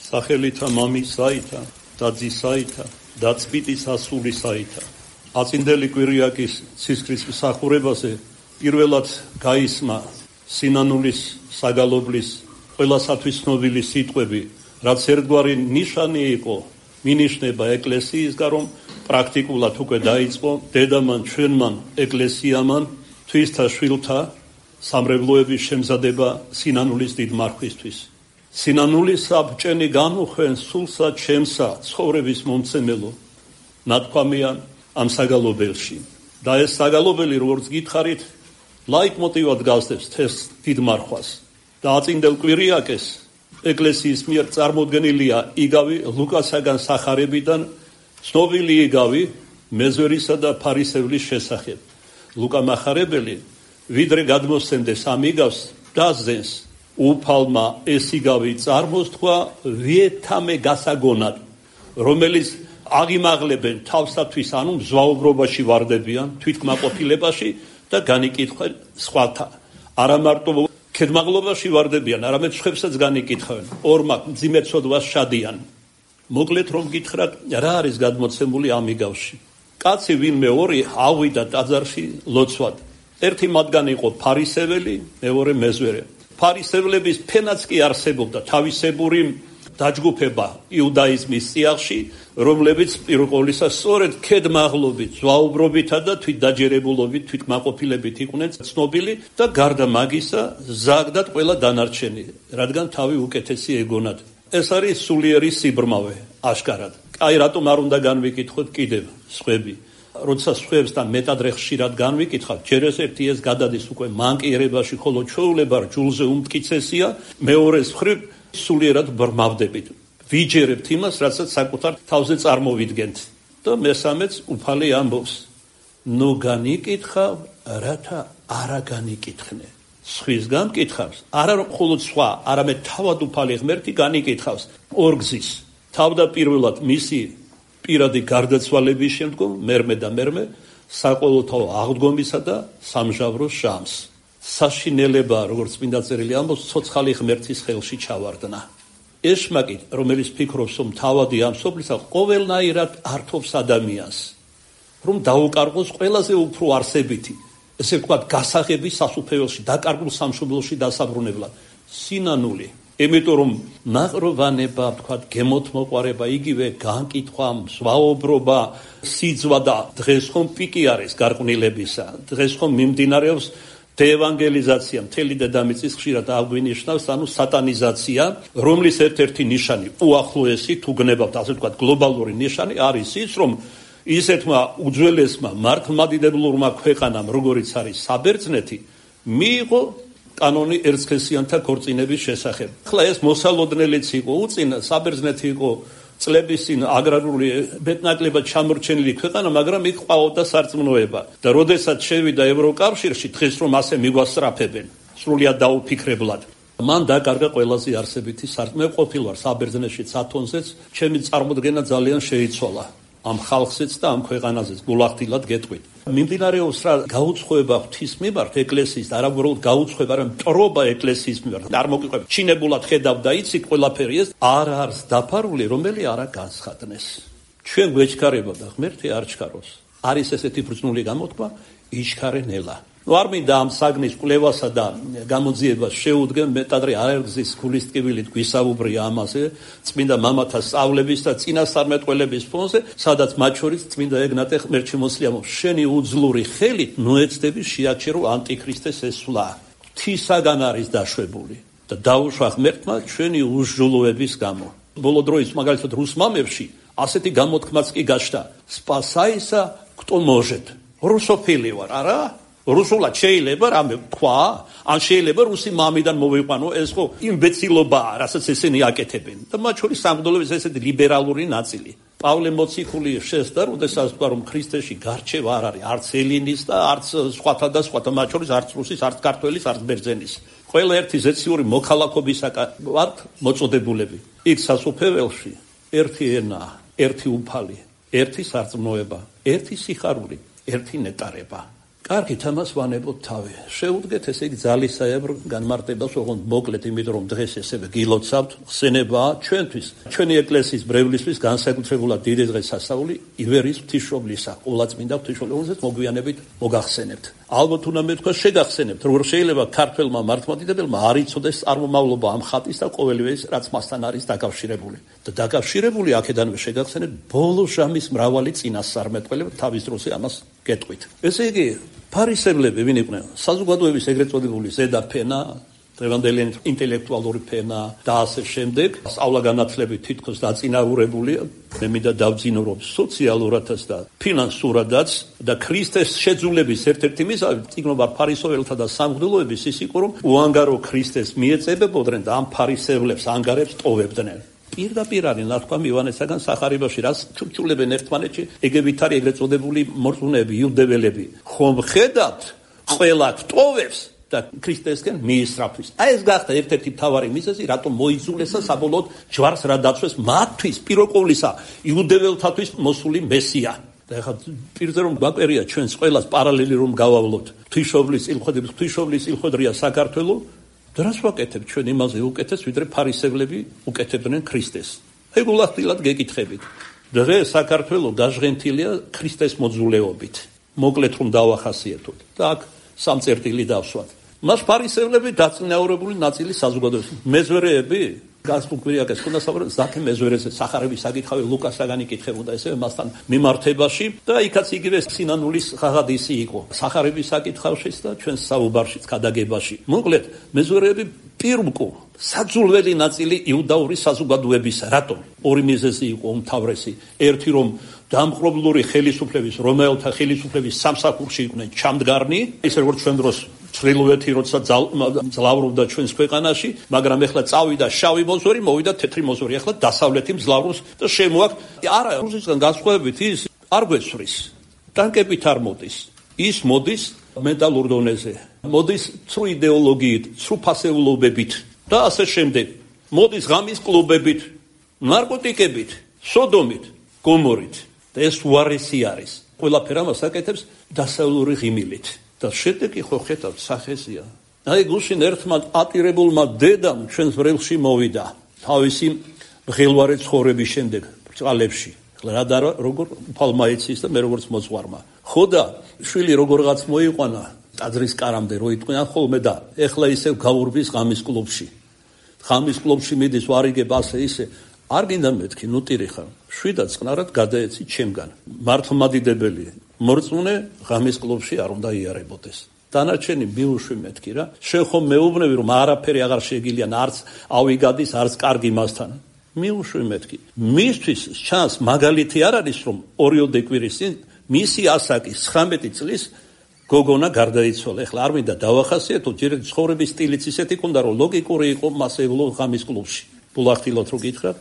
სახელითა მამისაითა და ძისაითა და წმიდის ასულისაითა. აწინდელი კვირიაკის ცისკრის მსახურებაზე პირველად გაისმა სინანულის საგალობლის ყველასათვის ცნობილი სიტყვები, რაც ერთგვარი ნიშანი იყო, მინიშნება ეკლესიისგან, რომ პრაქტიკულად უკვე დაიწყო დედამან, ჩვენმან, ეკლესიამან, თვისთა შვილთა სამრევლოების შემზადება სინანულის დიდ მარხვისთვის. სინანულის საბჭენი განუხვენ სულსა ჩემსა ცხოვრების მომცემელო, ნათქვამია ამ საგალობელში. და ეს საგალობელი, როგორც გითხარით, ლაიტმოტივად გასდევს ეს დიდ მარხვას. და აწინდელ კვირიაკეს ეკლესიის მიერ წარმოდგენილია იგავი ლუკასაგან სახარებიდან ცნობილი იგავი მეზვერისა და ფარისევლის შესახებ. ლუკა მახარებელი ვიდრე გადმოსცემდეს ამ იგავს დასძენს უფალმა ეს იგავი წარმოსთქვა ვიეთამე გასაგონად, რომელიც აღიმაღლებენ თავსათვის, ანუ მზვაუბრობაში ვარდებიან, თვითკმაყოფილებაში და განიკითხენ სხვათა. არა მარტო ქედმაღლობაში ვარდებიან, არამედ სხვებსაც განიკითხავენ. ორმაგ მძიმეცოდვას შადიან. მოკლედ რომ გითხრათ, რა არის გადმოცემული ამ იგავში? კაცი ვინმე ორი ავიდა ტაძარში ლოცვად. ერთი მათგანი იყო ფარისეველი, მეორე მეზვერე. ფარისევლების ფენაც კი არსებობდა თავისებური დაჯგუფება იუდაიზმის წიაღში, რომლებიც პირველ ყოვლისა სწორედ ქედმაღლობით, ზვაუბრობითა და თვითდაჯერებულობით, თვითკმაყოფილებით იყვნენ ცნობილი და გარდა მაგისა ზაგდათ ყველა დანარჩენი, რადგან თავი უკეთესი ეგონათ. ეს არის სულიერი სიბრმავე, აშკარად. აი რატომ არ უნდა განვიკითხოთ კიდევ სხვები. როცა სხვებს და მეტადრე ხშირად განვიკითხავთ, ჯერ ერთი ეს გადადის უკვე მანკიერებაში, ხოლო ჩვეულება ჯულზე უმტკიცესია, მეორეს მხრივ სულიერად ბრმავდებით. ვიჯერებთ იმას, რასაც საკუთარ თავზე წარმოვიდგენთ. და მესამეც უფალი ამბობს, ნუ განიკითხავ, რათა არა განიკითხნე. სხვისგან კითხავს, არა მხოლოდ სხვა, არამედ თავად უფალი ღმერთი განიკითხავს ორგზის. თავდაპირველად მისი პირადი გარდაცვალების შემდგომ მერმე და მერმე საყოველთაო აღდგომისა და სამჟავრო ჟამს. საშინელება, როგორც წმინდა წერილი ამბობს, ცოცხალი ღმერთის ხელში ჩავარდნა. ეშმაკი, რომელიც ფიქრობს, რომ თავადი ამ სოფლისა ყოველნაირად ართობს ადამიანს, რომ დაუკარგოს ყველაზე უფრო არსებითი, ესე ვთქვათ, გასაღების სასუფეველში, დაკარგულ სამშობლოში დასაბრუნებლად. სინანული. იმიტომ რომ ნაყროვანება, ვთქვათ, გემოთმოყვარება, იგივე განკითხვა, ზვაობრობა, სიძვა და დღეს ხომ პიკი არის გარყვნილებისა. დღეს ხომ მიმდინარეობს დეევანგელიზაცია, მთელი დედამიწის ხშირად აღვინიშნავს, ანუ სატანიზაცია, რომლის ერთ-ერთი ნიშანი, უახლოესი, თუ გნებავთ, ასე ვთქვათ, გლობალური ნიშანი არის ის, რომ ისეთმა უძველესმა მართლმადიდებლურმა ქვეყანამ, როგორიც არის საბერძნეთი, მიიღო კანონი ერცხესიანთა ქორწინების შესახებ. ახლა ეს მოსალოდნელიც იყო უწინა, საბერძნეთი იყო წლების წინ აგრარული მეტნაკლებად ჩამორჩენილი ქვეყანა, მაგრამ იქ ყავდა სარწმუნოება. და როდესაც შევიდა ევროკავშირში, დღეს რომ ასე მიგვასწრაფებენ, სრულიად დაუფიქრებლად. მან დაკარგა ყველაზე არსებითი სარწმუნოება. მე ყოფილ ვარ საბერძნეთში ათონზეც, ჩემი წარმოდგენა ძალიან შეიცვალა. ამ ხალხზეც და ამ ქვეყანაზეც გულახდილად გეტყვით. მიმდინარეობს რა გაუცხოება ღვთის მიმართ ეკლესიის და არა უბრალოდ გაუცხოება, არამედ მტრობა ეკლესიის მიმართ. არ მოგიყვება. ჩინებულად ხედავ და იცით ყველაფერი ეს არ არის დაფარული, რომელი არა განცხადნეს. ჩვენ გვეჩქარება და ღმერთი არ ჩქაროს. არის ესეთი ბრძნული გამოთქმა, იჩქარე ნელა. არ მინდა ამ საგნის კვლევასა და გამოძიებას შეუდგენ, მეტადრე აერგზის გულის ტკივილით გვისაუბრია ამაზე, წმინდა მამათა სწავლების და წინასწარმეტყველების ფონზე, სადაც მათ შორის წმინდა ეგნატე ღმერთშემოსლია ამბობს, შენი უძლური ხელით ნოეცდები შეაჩერო ანტიქრისტეს ესვლა. ღვთისაგან არის დაშვებული და დაუშვა ღმერთმა ჩვენი უსჯულოების გამო. ბოლო დროის მაგალითად რუს მამებში ასეთი გამოთქმაც კი გაჩნდა. სპასაისა кто может. რუსოფილი ვარ, არა? რუსულად შეიძლება რამე თქვა, ან შეიძლება რუსი მამიდან მოვიყვანო, ეს ხო იმბეცილობაა, რასაც ესენი აკეთებენ. და მათ შორის სამღვდელოების ესეთი ლიბერალური ნაწილი. პავლე მოციქული შესდა, როდესაც თქვა, რომ ქრისტეში გარჩევა არ არის, არც ელინის და არც სხვათა და სხვათა, მათ შორის არც რუსის, არც ქართველის, არც ბერძენის. ყველა ერთი ზეციური მოქალაქობისაგან ვართ მოწოდებულები. იქ სასუფეველში ერთი ენა, ერთი უფალი, ერთი სარწმუნოება, ერთი სიხარული, ერთი ნეტარება. კარგი, თამას ვანებოთ თავი. Შეუდგეთ ესე იგი ძალისაებრ განმარტებას, ოღონდ მოკლედ, იმიტომ რომ დღეს ესევე გილოცავთ, ხსენებაა ჩვენთვის. ჩვენი ეკლესიის ბრევლისთვის განსაკუთრებულად დიდი დღეს სასაული ივერიის ღვთისმშობლისა, ყოვლადწმინდა ღვთისმშობლის მოგვიანებით მოგახსენებთ. ალბათ უნდა მეთქვა შეგახსენებთ, როგორ შეიძლება ქართველმა მართლმადიდებელმა არ იცოდეს წარმომავლობა ამ ხატის და ყოველივე ის, რაც მასთან არის დაკავშირებული. და დაკავშირებული აქედანვე შეგახსენებთ ბოლო ჟამის მრავალი წინასწარმეტყველება, თავის დროზე ამას გეტყვით. ესე იგი, ფარისევლები ვინ იყვნენ? საზოგადოების ეგრეთ წოდებული ზედა ფენა, დღევანდელი ინტელექტუალური ფენა და ასე შემდეგ. სწავლა-განათლებით თითქოს დაწინაურებულია. მე მინდა დავძინო, რომ სოციალურადაც და ფინანსურადაც და ქრისტეს შეძულების ერთ-ერთი მიზანი წიგნობა ფარისეველთა და სამღვდელოების ის იყო, რომ უანგარო ქრისტეს მიეწებებოდნენ და ამ ფარისევლებს ანგარებს ტოვებდნენ. პირდაპირ არის ნათქვამი ივანესაგან სახარებაში, რაც ჩურჩულებენ ერთმანეთში ეგებითარი ეგრეთ წოდებული მორწმუნეები, იუდეველები. ხომ ხედავთ, ყველა ტოვებს და ქრისტესკენ მიისწრაფვის. აი ეს გახდა ერთ-ერთი მთავარი მიზეზი, რატომ მოიძულესა საბოლოოდ ჯვარს რა დაცვეს მათთვის პირველყოვლისა იუდეველთათვის მოსული მესია. და ეხლა პირზე რომ გვაკვერია ჩვენს ყველას პარალელი რომ გავავლოთ. ღვთისმშობლის წილხვედრია საქართველო. დრას ვაკეთებ ჩვენ იმაზე უკეთეს, ვიდრე ფარისევლები უკეთებდნენ ქრისტეს. ეგულახდილად გეკითხებით. დღეს საქართველო გაჟღენთილია ქრისტეს მოძულეობით. მოკლედ რომ დავახასიათოთ. და აქ სამწერტილი დავსვათ. მას ფარისევლები დაწინაურებული ნაწილი საზოგადოების მეზვერეები გასწუკვირიაკეს ქონდა საუბარი ზაქე მეზვერეზე სახარების საკითხავი ლუკასაგანი კითხებოდა ესევე მასთან მიმართებაში და იქაც იგივე სინანულის ღაღადისი იყო სახარების საკითხავშიც და ჩვენს საუბარშიც გადაგებაში. მოკლედ მეზვერეები პირმკო საძულველი ნაწილი იუდაური საზოგადოებისა. რატომ? ორი მიზეზი იყო უმთავრესი. ერთი რომ დამპყრობლური ხელისუფლების, რომელთა ხელისუფლების სამსახურში იყვნენ ჩამდგარნი, ისე როგორც ჩვენ დროს ჩრდილოეთი როცა ძლავრობდა ჩვენს ქვეყანაში, მაგრამ ეხლა წავიდა შავი მოზვერი, მოვიდა თეთრი მოზვერი, ეხლა დასავლეთი მძლავრობს და შემოაქვს. არა, რუსეთიდან განსხვავებით ის არ გვეცვრის. ტანკებით არ მოდის. ის მოდის მენტალურ დონეზე. მოდის ცრუ იდეოლოგიით, ცრუ ფასეულობებით და ასე შემდეგ. მოდის ღამის კლუბებით, ნარკოტიკებით, სოდომით, გომორით. და ეს უარესი არის. ყველაფერ ამას აკეთებს დასავლური ღიმილით. და შედეგი ხო ხედავთ სახეზია. აი გუშინ ერთმა ატირებულმა დედამ ჩვენს ბრელში მოვიდა თავისი ღელვარე ცხოვრების შემდეგ ბრწყალებში. რა და როგორ უფალმა იცის და მე როგორც მოძღვარმა. ხო და შვილი როგორღაც მოიყვანა ტაძრის კარამდე რო იტყვიან ხოლმე და ეხლა ისევ გაურბის ღამის კლუბში. ღამის კლუბში მიდის ვარიგებ ასე ისე არ გინდა მეთქი ნუტირი ხარ. შვიდად წყნარად გადაეცი ჩემგან. მართლმადიდებელი მორწმუნე ღამის კლუბში არ უნდა იარებოდეს. დანარჩენი მიუშვი მეთქი რა. შენ ხომ მეუბნები რომ არაფერი აღარ შეგილიან, არც ავი გადის, არც კარგი მასთან. მიუშვი მეთქი. მისთვის ჩანს მაგალითი არ არის რომ ორიოდე კვირის წინ მისი ასაკის 19 წლის გოგონა გარდაიცვალა. ეხლა არ მინდა დავახასიათო, ჯერ ცხოვრების სტილიც ისეთი ქონდა რომ ლოგიკური იყო მასეულო ღამის კლუბში. ბულახtilot რო გითხრათ,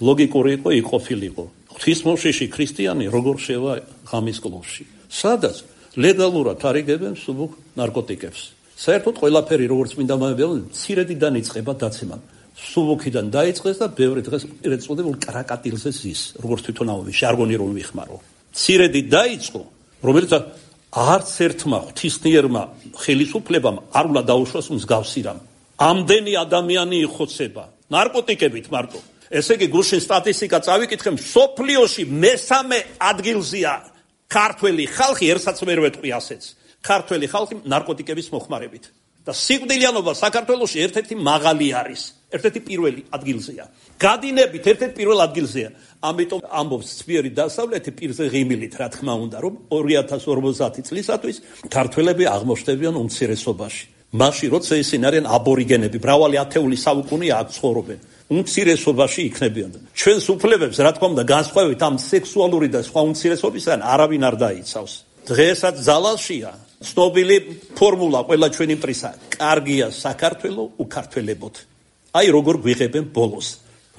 ლოგიკური იყო, იყოფილიყო. ღვთისმოშიში ქრისტიანი როგორ შევა ღამის კლუბში. სადაც ლეგალურად არიგებენ სუბუქ ნარკოტიკებს. საერთოდ ყველაფერი როგორც მინდა მომებელო, ცირედიდან იწყება დაცემა. სუბუქიდან დაიწყეს და ბევრი დღეს ერთ წოდებულ კრაკატილზე ზის, როგორც თვითონ ამბობენ, ჟარგონი რომ ვიხმარო. ცირედი დაიწყო, რომელიც არც ერთმა ღვთისმიერმა ხელისუფლებამ არ უნდა დაუშვას მსგავსი რამ. ამდენი ადამიანი იხოცება ნარკოტიკებით მარტო. ესე იგი გუშინ სტატისტიკა წავიკითხე, სოფლიოში მესამე ადგილზეა ქართველი ხალხი, ერთსაც ვერ ვეტყვი ასეც. ქართველი ხალხი ნარკოტიკების მოხმარებით. და სიკვდილიანობა საქართველოში ერთ-ერთი მაღალი არის. ერთ-ერთი პირველი ადგილზეა. გადინებით ერთ-ერთი პირველ ადგილზეა. ამიტომ ამბობს ცბიერი დასავლეთი პირზე ღიმილით, რა თქმა უნდა, რომ 2050 წლისათვის ქართველები აღმოჩნდებიან უმცირესობაში. მაშინ როცა ისინი არიან აბორიგენები, მრავალი ათეული საუკუნეა აქ ცხოვრობენ. უმცირესობაში იქნებიან. ჩვენს უფლებებს, რა თქმა უნდა, განსხვავებით ამ სექსუალური და სხვა უმცირესობისგან არავინ არ დაიცავს. დღესაც ძალაშია ცნობილი ფორმულა ყველა ჩვენი პრისა. კარგია საქართველო უკართველებოთ. აი როგორ გვიღებენ ბოლოს.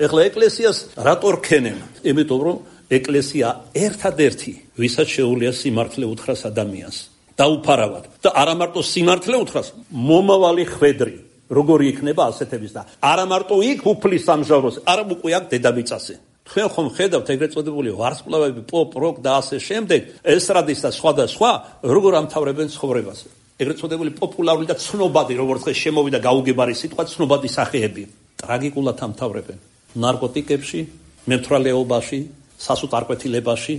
ეხლა ეკლესიას რატო რქენენ? იმიტომ რომ ეკლესია ერთადერთი, ვისაც შეუძლია სიმართლე უთხრას ადამიანს. დაუფარავად და არა მარტო სიმართლე უთხრას, მომავალი ხვედრი. როგორი იქნება ასეთების და არა მარტო იქ უფლის სამჟავროს, არა უკვე აქ დედამიწაზე. თქვენ ხომ ხედავთ ეგრეთ წოდებული ვარსკვლავები, პოპ, როკ და ასე შემდეგ, ესტრადის და სხვა და სხვა, როგორ ამთავრებენ ცხოვრებას. ეგრეთ წოდებული პოპულარული და ცნობადი, როგორც დღეს შემოვიდა გაუგებარი სიტყვა, ცნობადი სახეები ტრაგიკულად ამთავრებენ. ნარკოტიკებში, მემთვრალეობაში, სასუთარკვეთილებაში,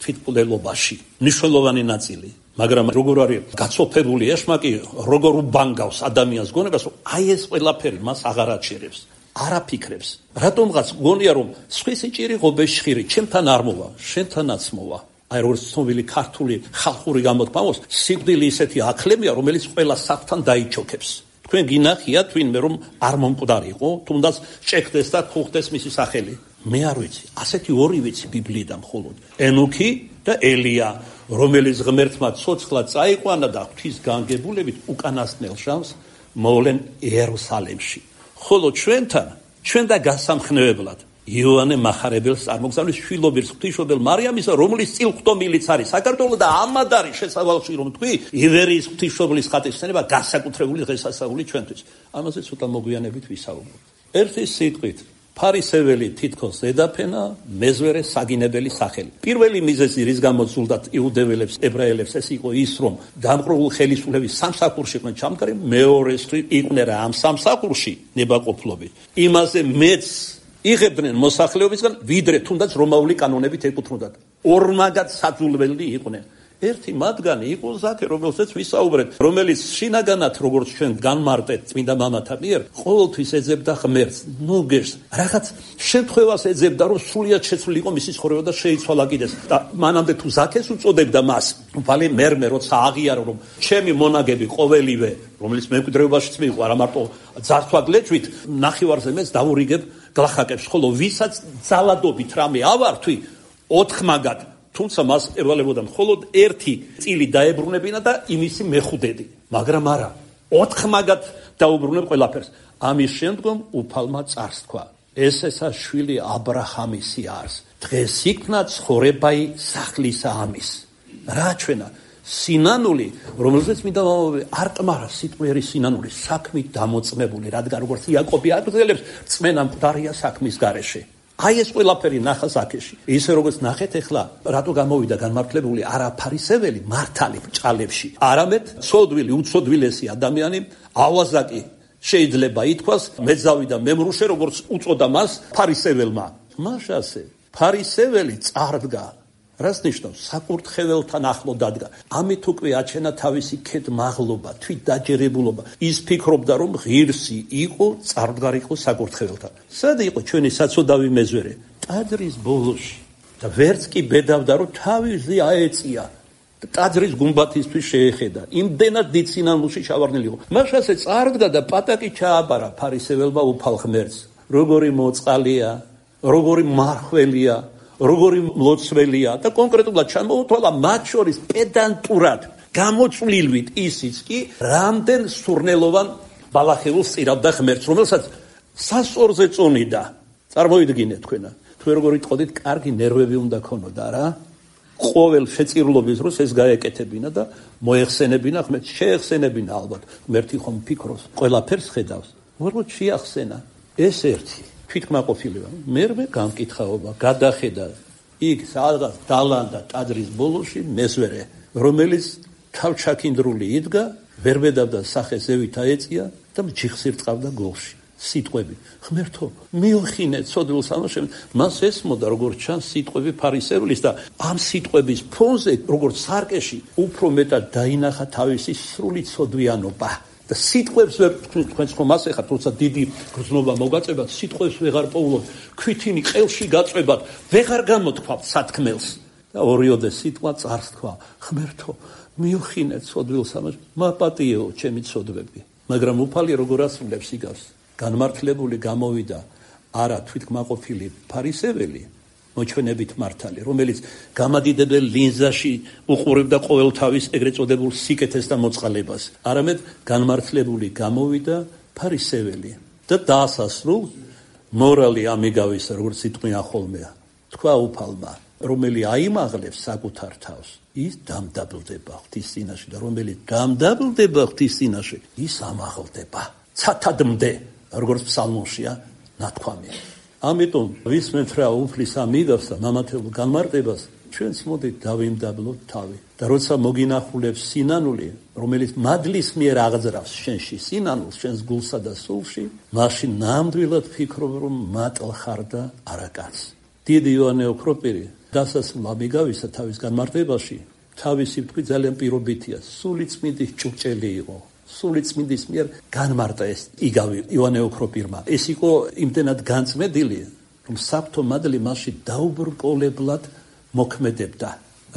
თვითმკვლელობაში. მნიშვნელოვანი ნაწილი. მაგრამ როგორ არის გაცოფებული ეშმაკი, როგორ უბანგავს ადამიანს გონებას, რომ აი ეს ყველაფერი მას აღარ აჩერებს. არ აფიქრებს. რატომღაც გონია რომ სხვისი ჭირი ღობეშხირი, ჩემთან არ მოვა, შენთანაც მოვა. აი როგორც ცნობილი ქართული ხალხური გამოთქმა აქვს, სიკვდილი ისეთი აკლემია, რომელიც ყველა საფთან დაიჩოქებს. თქვენ გინახიათ ვინმე რომ არ მომკვდარიყო, თუნდაც ჭექდეს და ხუხდეს მისი სახელი. მე არ ვიცი, ასეთი ორი ვიცი ბიბლიიდან მხოლოდ. ენუქი და ელია, რომელიც ღმერთმა ცოცხლად წაიყვანა და ღვთის განგებულებით უკანასკნელ ჟამს მოვლენ იერუსალიმში. ხოლო ჩვენ და გასამხნევებლად იოანე მახარებელს წარმოგზავნის შვილობილს ღვთისმშობელ მარიამისა, რომლის წილხვდომილიც არის საქართველო და ამად არის შესავალში რომ თქვი ივერიის ღვთისმშობლის ხატისცემა განსაკუთრებული დღესასწაული ჩვენთვის. ამაზე ცოტა მოგვიანებით ვისაუბრებთ. ერთი სიტყვით ფარისეველი თითქოს ზედაფენა, მეზვერე საგინებელი სახელი. პირველი მიზეზი რის გამოც ზულდათ იუდეველებს, ებრაელებს ეს იყო ის, რომ დამყრობულ ხელისუფლების სამსახურში იყვნენ ჩამდგარი, მეორეს იყვნენ რა ამ სამსახურში ნებაყოფლობით. იმაზე მეც იღებდნენ მოსახლეობისგან, ვიდრე თუნდაც რომაული კანონებით ეკუთვნოდათ. ორმაგად საძულველი იყვნენ. ერთი მათგანი იყო ზაქე, რომელსაც ვისაუბრეთ, რომელიც შინაგანად როგორც ჩვენ განმარტეთ წმინდა მამათა მიერ, ყოველთვის ეძებდა ღმერთს. ნუ გერს, რაღაც შემთხვევას ეძებდა, რომ სრულიად შეცვლილი იყო მისი ცხოვრება და შეიცვალა კიდეს. და მანამდე თუ ზაქეს უწოდებდა მას, ვალე მერმე როცა აღიარო, რომ ჩემი მონაგები ყოველივე, რომელიც მემკვიდრეობაშიც მიიღო, არა მარტო ძართვაგლეჭვით, ნახევარზე მეც დავურიგებ გლახაკებს, ხოლო ვისაც ძალადობით რამე ავართვი, ოთხმაგად თუმცა მას ევალებოდა მხოლოდ ერთი წილი დაებრუნებინა და იმისი მეხუდედი, მაგრამ არა, ოთხმაგად დაუბრუნებ ყველაფერს. ამის შემდგომ უფალმა წარს თქვა, ესეცა შვილი აბრაჰამისი არის, დღეს იქნა ცხოვრებაი სახლისა ამის. რა ჩვენა სინანული, რომელზეც მინდა არ კმარა სიტყვიერი სინანული, საქმით დამოწმებული, რადგან როგორც იაკობი აგრძელებს, წმენა მკვდარია საქმის გარეშე. აი ეს ყველაფერი ნახა ზაქეში. ისე როგორც ნახეთ ახლა, რატო გამოვიდა განმართლებული არა ფარისეველი მართალი ბრჭყალებში, არამედ ცოდვილი, უცოდვილესი ადამიანი ავაზაკი შეიძლება ითქვას, მეძავი და მემრუშე, როგორც უწოდა მას ფარისეველმა. მაშასე ფარისეველი წარდგა. რას ნიშნავს? საკურთხეველთან ახლო დადგა. ამით უკვე აჩენა თავისი ქედმაღლობა, თვითდაჯერებულობა. ის ფიქრობდა, რომ ღირსი იყო, წარდგარიყო საკურთხეველთან. სად იყო ჩვენი საცოდავი მეზვერე? ტაძრის ბოლოში. და ვერც კი ბედავდა, რომ თავისი აეწია. ტაძრის გუმბათისთვის შეეხედა. იმდენად დიდ სინანულში ჩავარდნილი იყო. მაშასე წარდგა და პატაკი ჩააბარა ფარისეველმა უფალ ღმერთს. როგორი მოწყალია, როგორი მარხველია, როგორი მლოცველია და კონკრეტულად ჩამოუთვალა მათ შორის პედანტურად გამოწვლილვით ისიც კი რამდენ სურნელოვან ბალახეულს წირავდა ღმერთს, რომელსაც სასწორზე წონიდა. წარმოიდგინეთ თქვენა, თქვენ როგორ იტყოდით, კარგი ნერვები უნდა ქონოდა რა? ყოველ შეწირულობის დროს ეს გაეკეთებინა და მოეხსენებინა ღმერთს, შეეხსენებინა ალბათ. ღმერთი ხომ ფიქრობს, ყველაფერს ხედავს. უბრალოდ შეახსენა ეს ერთი თვითკმაყოფილება. მერმე გამკითხაობა, გადახედა იქ სადღაც დალანდა ტაძრის ბოლოში მეზვერე, რომელიც თავჩაქინდრული იდგა, ვერ ბედავდა სახე ზევით აეწია და ჯიხს ირწყავდა გოლში. სიტყვები, ღმერთო, მიოხინე ცოდვილ სამაშენებლად. მას ესმოდა როგორც ჩანს სიტყვები ფარისევლის და ამ სიტყვების ფონზე, როგორც სარკეში, უფრო მეტად დაინახა თავისი სრული ცოდვიანობა. და სიტყვებს ვერ თქვენს ხომ ასე ხართ, როცა დიდი გრძნობა მოგაწებათ, სიტყვებს ვეღარ პოულობთ, ქვითინი ყელში გაწვებათ, ვეღარ გამოთქვათ სათქმელს. და ორიოდე სიტყვა წარს თქვა, ღმერთო, მიოხინე ცოდვილ სამაშენებლად, მაპატიეო ჩემი ცოდვები. მაგრამ უფალი როგორ ასრულებს იგავს? განმართლებული გამოვიდა არა თვითკმაყოფილი ფარისეველი, მოჩვენებით მართალი, რომელიც გამადიდებელ ლინზაში უყურებდა ყოველთავის ეგრეთ წოდებულ სიკეთეს და მოწყალებას, არამედ განმართლებული გამოვიდა ფარისეველი და დაასასრულ მორალი ამიგავის, როგორც იტყვიან ხოლმე, თქვა უფალმა, რომელი აიმაღლებს საკუთარ თავს, ის დამდაბლდება ღვთის წინაშე და რომელიც დამდაბლდება ღვთის წინაშე, ის ამაღლდება. ცათადმდე, როგორც ფსალმოშია ნათქვამი. ამიტომ ვისმენთ რა უფლის ამიგავს და მამათებულ განმარტებას, ჩვენც მოდით დავიმდაბლოთ თავი. და როცა მოგინახულებს სინანული, რომელიც მადლის მიერ აღძრავს შენში სინანულს, შენს გულსა და სულში, მაშინ ნამდვილად ფიქრობ, რომ მატლ ხარ და არა კაცს. დიდი იოანე ოქროპირი დასასრულ ამიგავისა თავის განმარტებაში, თავისი თქვი ძალიან პირობითია, სული წმინდის ჭურჭელი იყო. სული წმინდის მიერ განმარტა ეს იგავი იოანე ოქროპირმა. ეს იყო იმდენად განწმენდილი, რომ საფრთხო მადლი მასში დაუბრკოლებლად მოქმედებდა.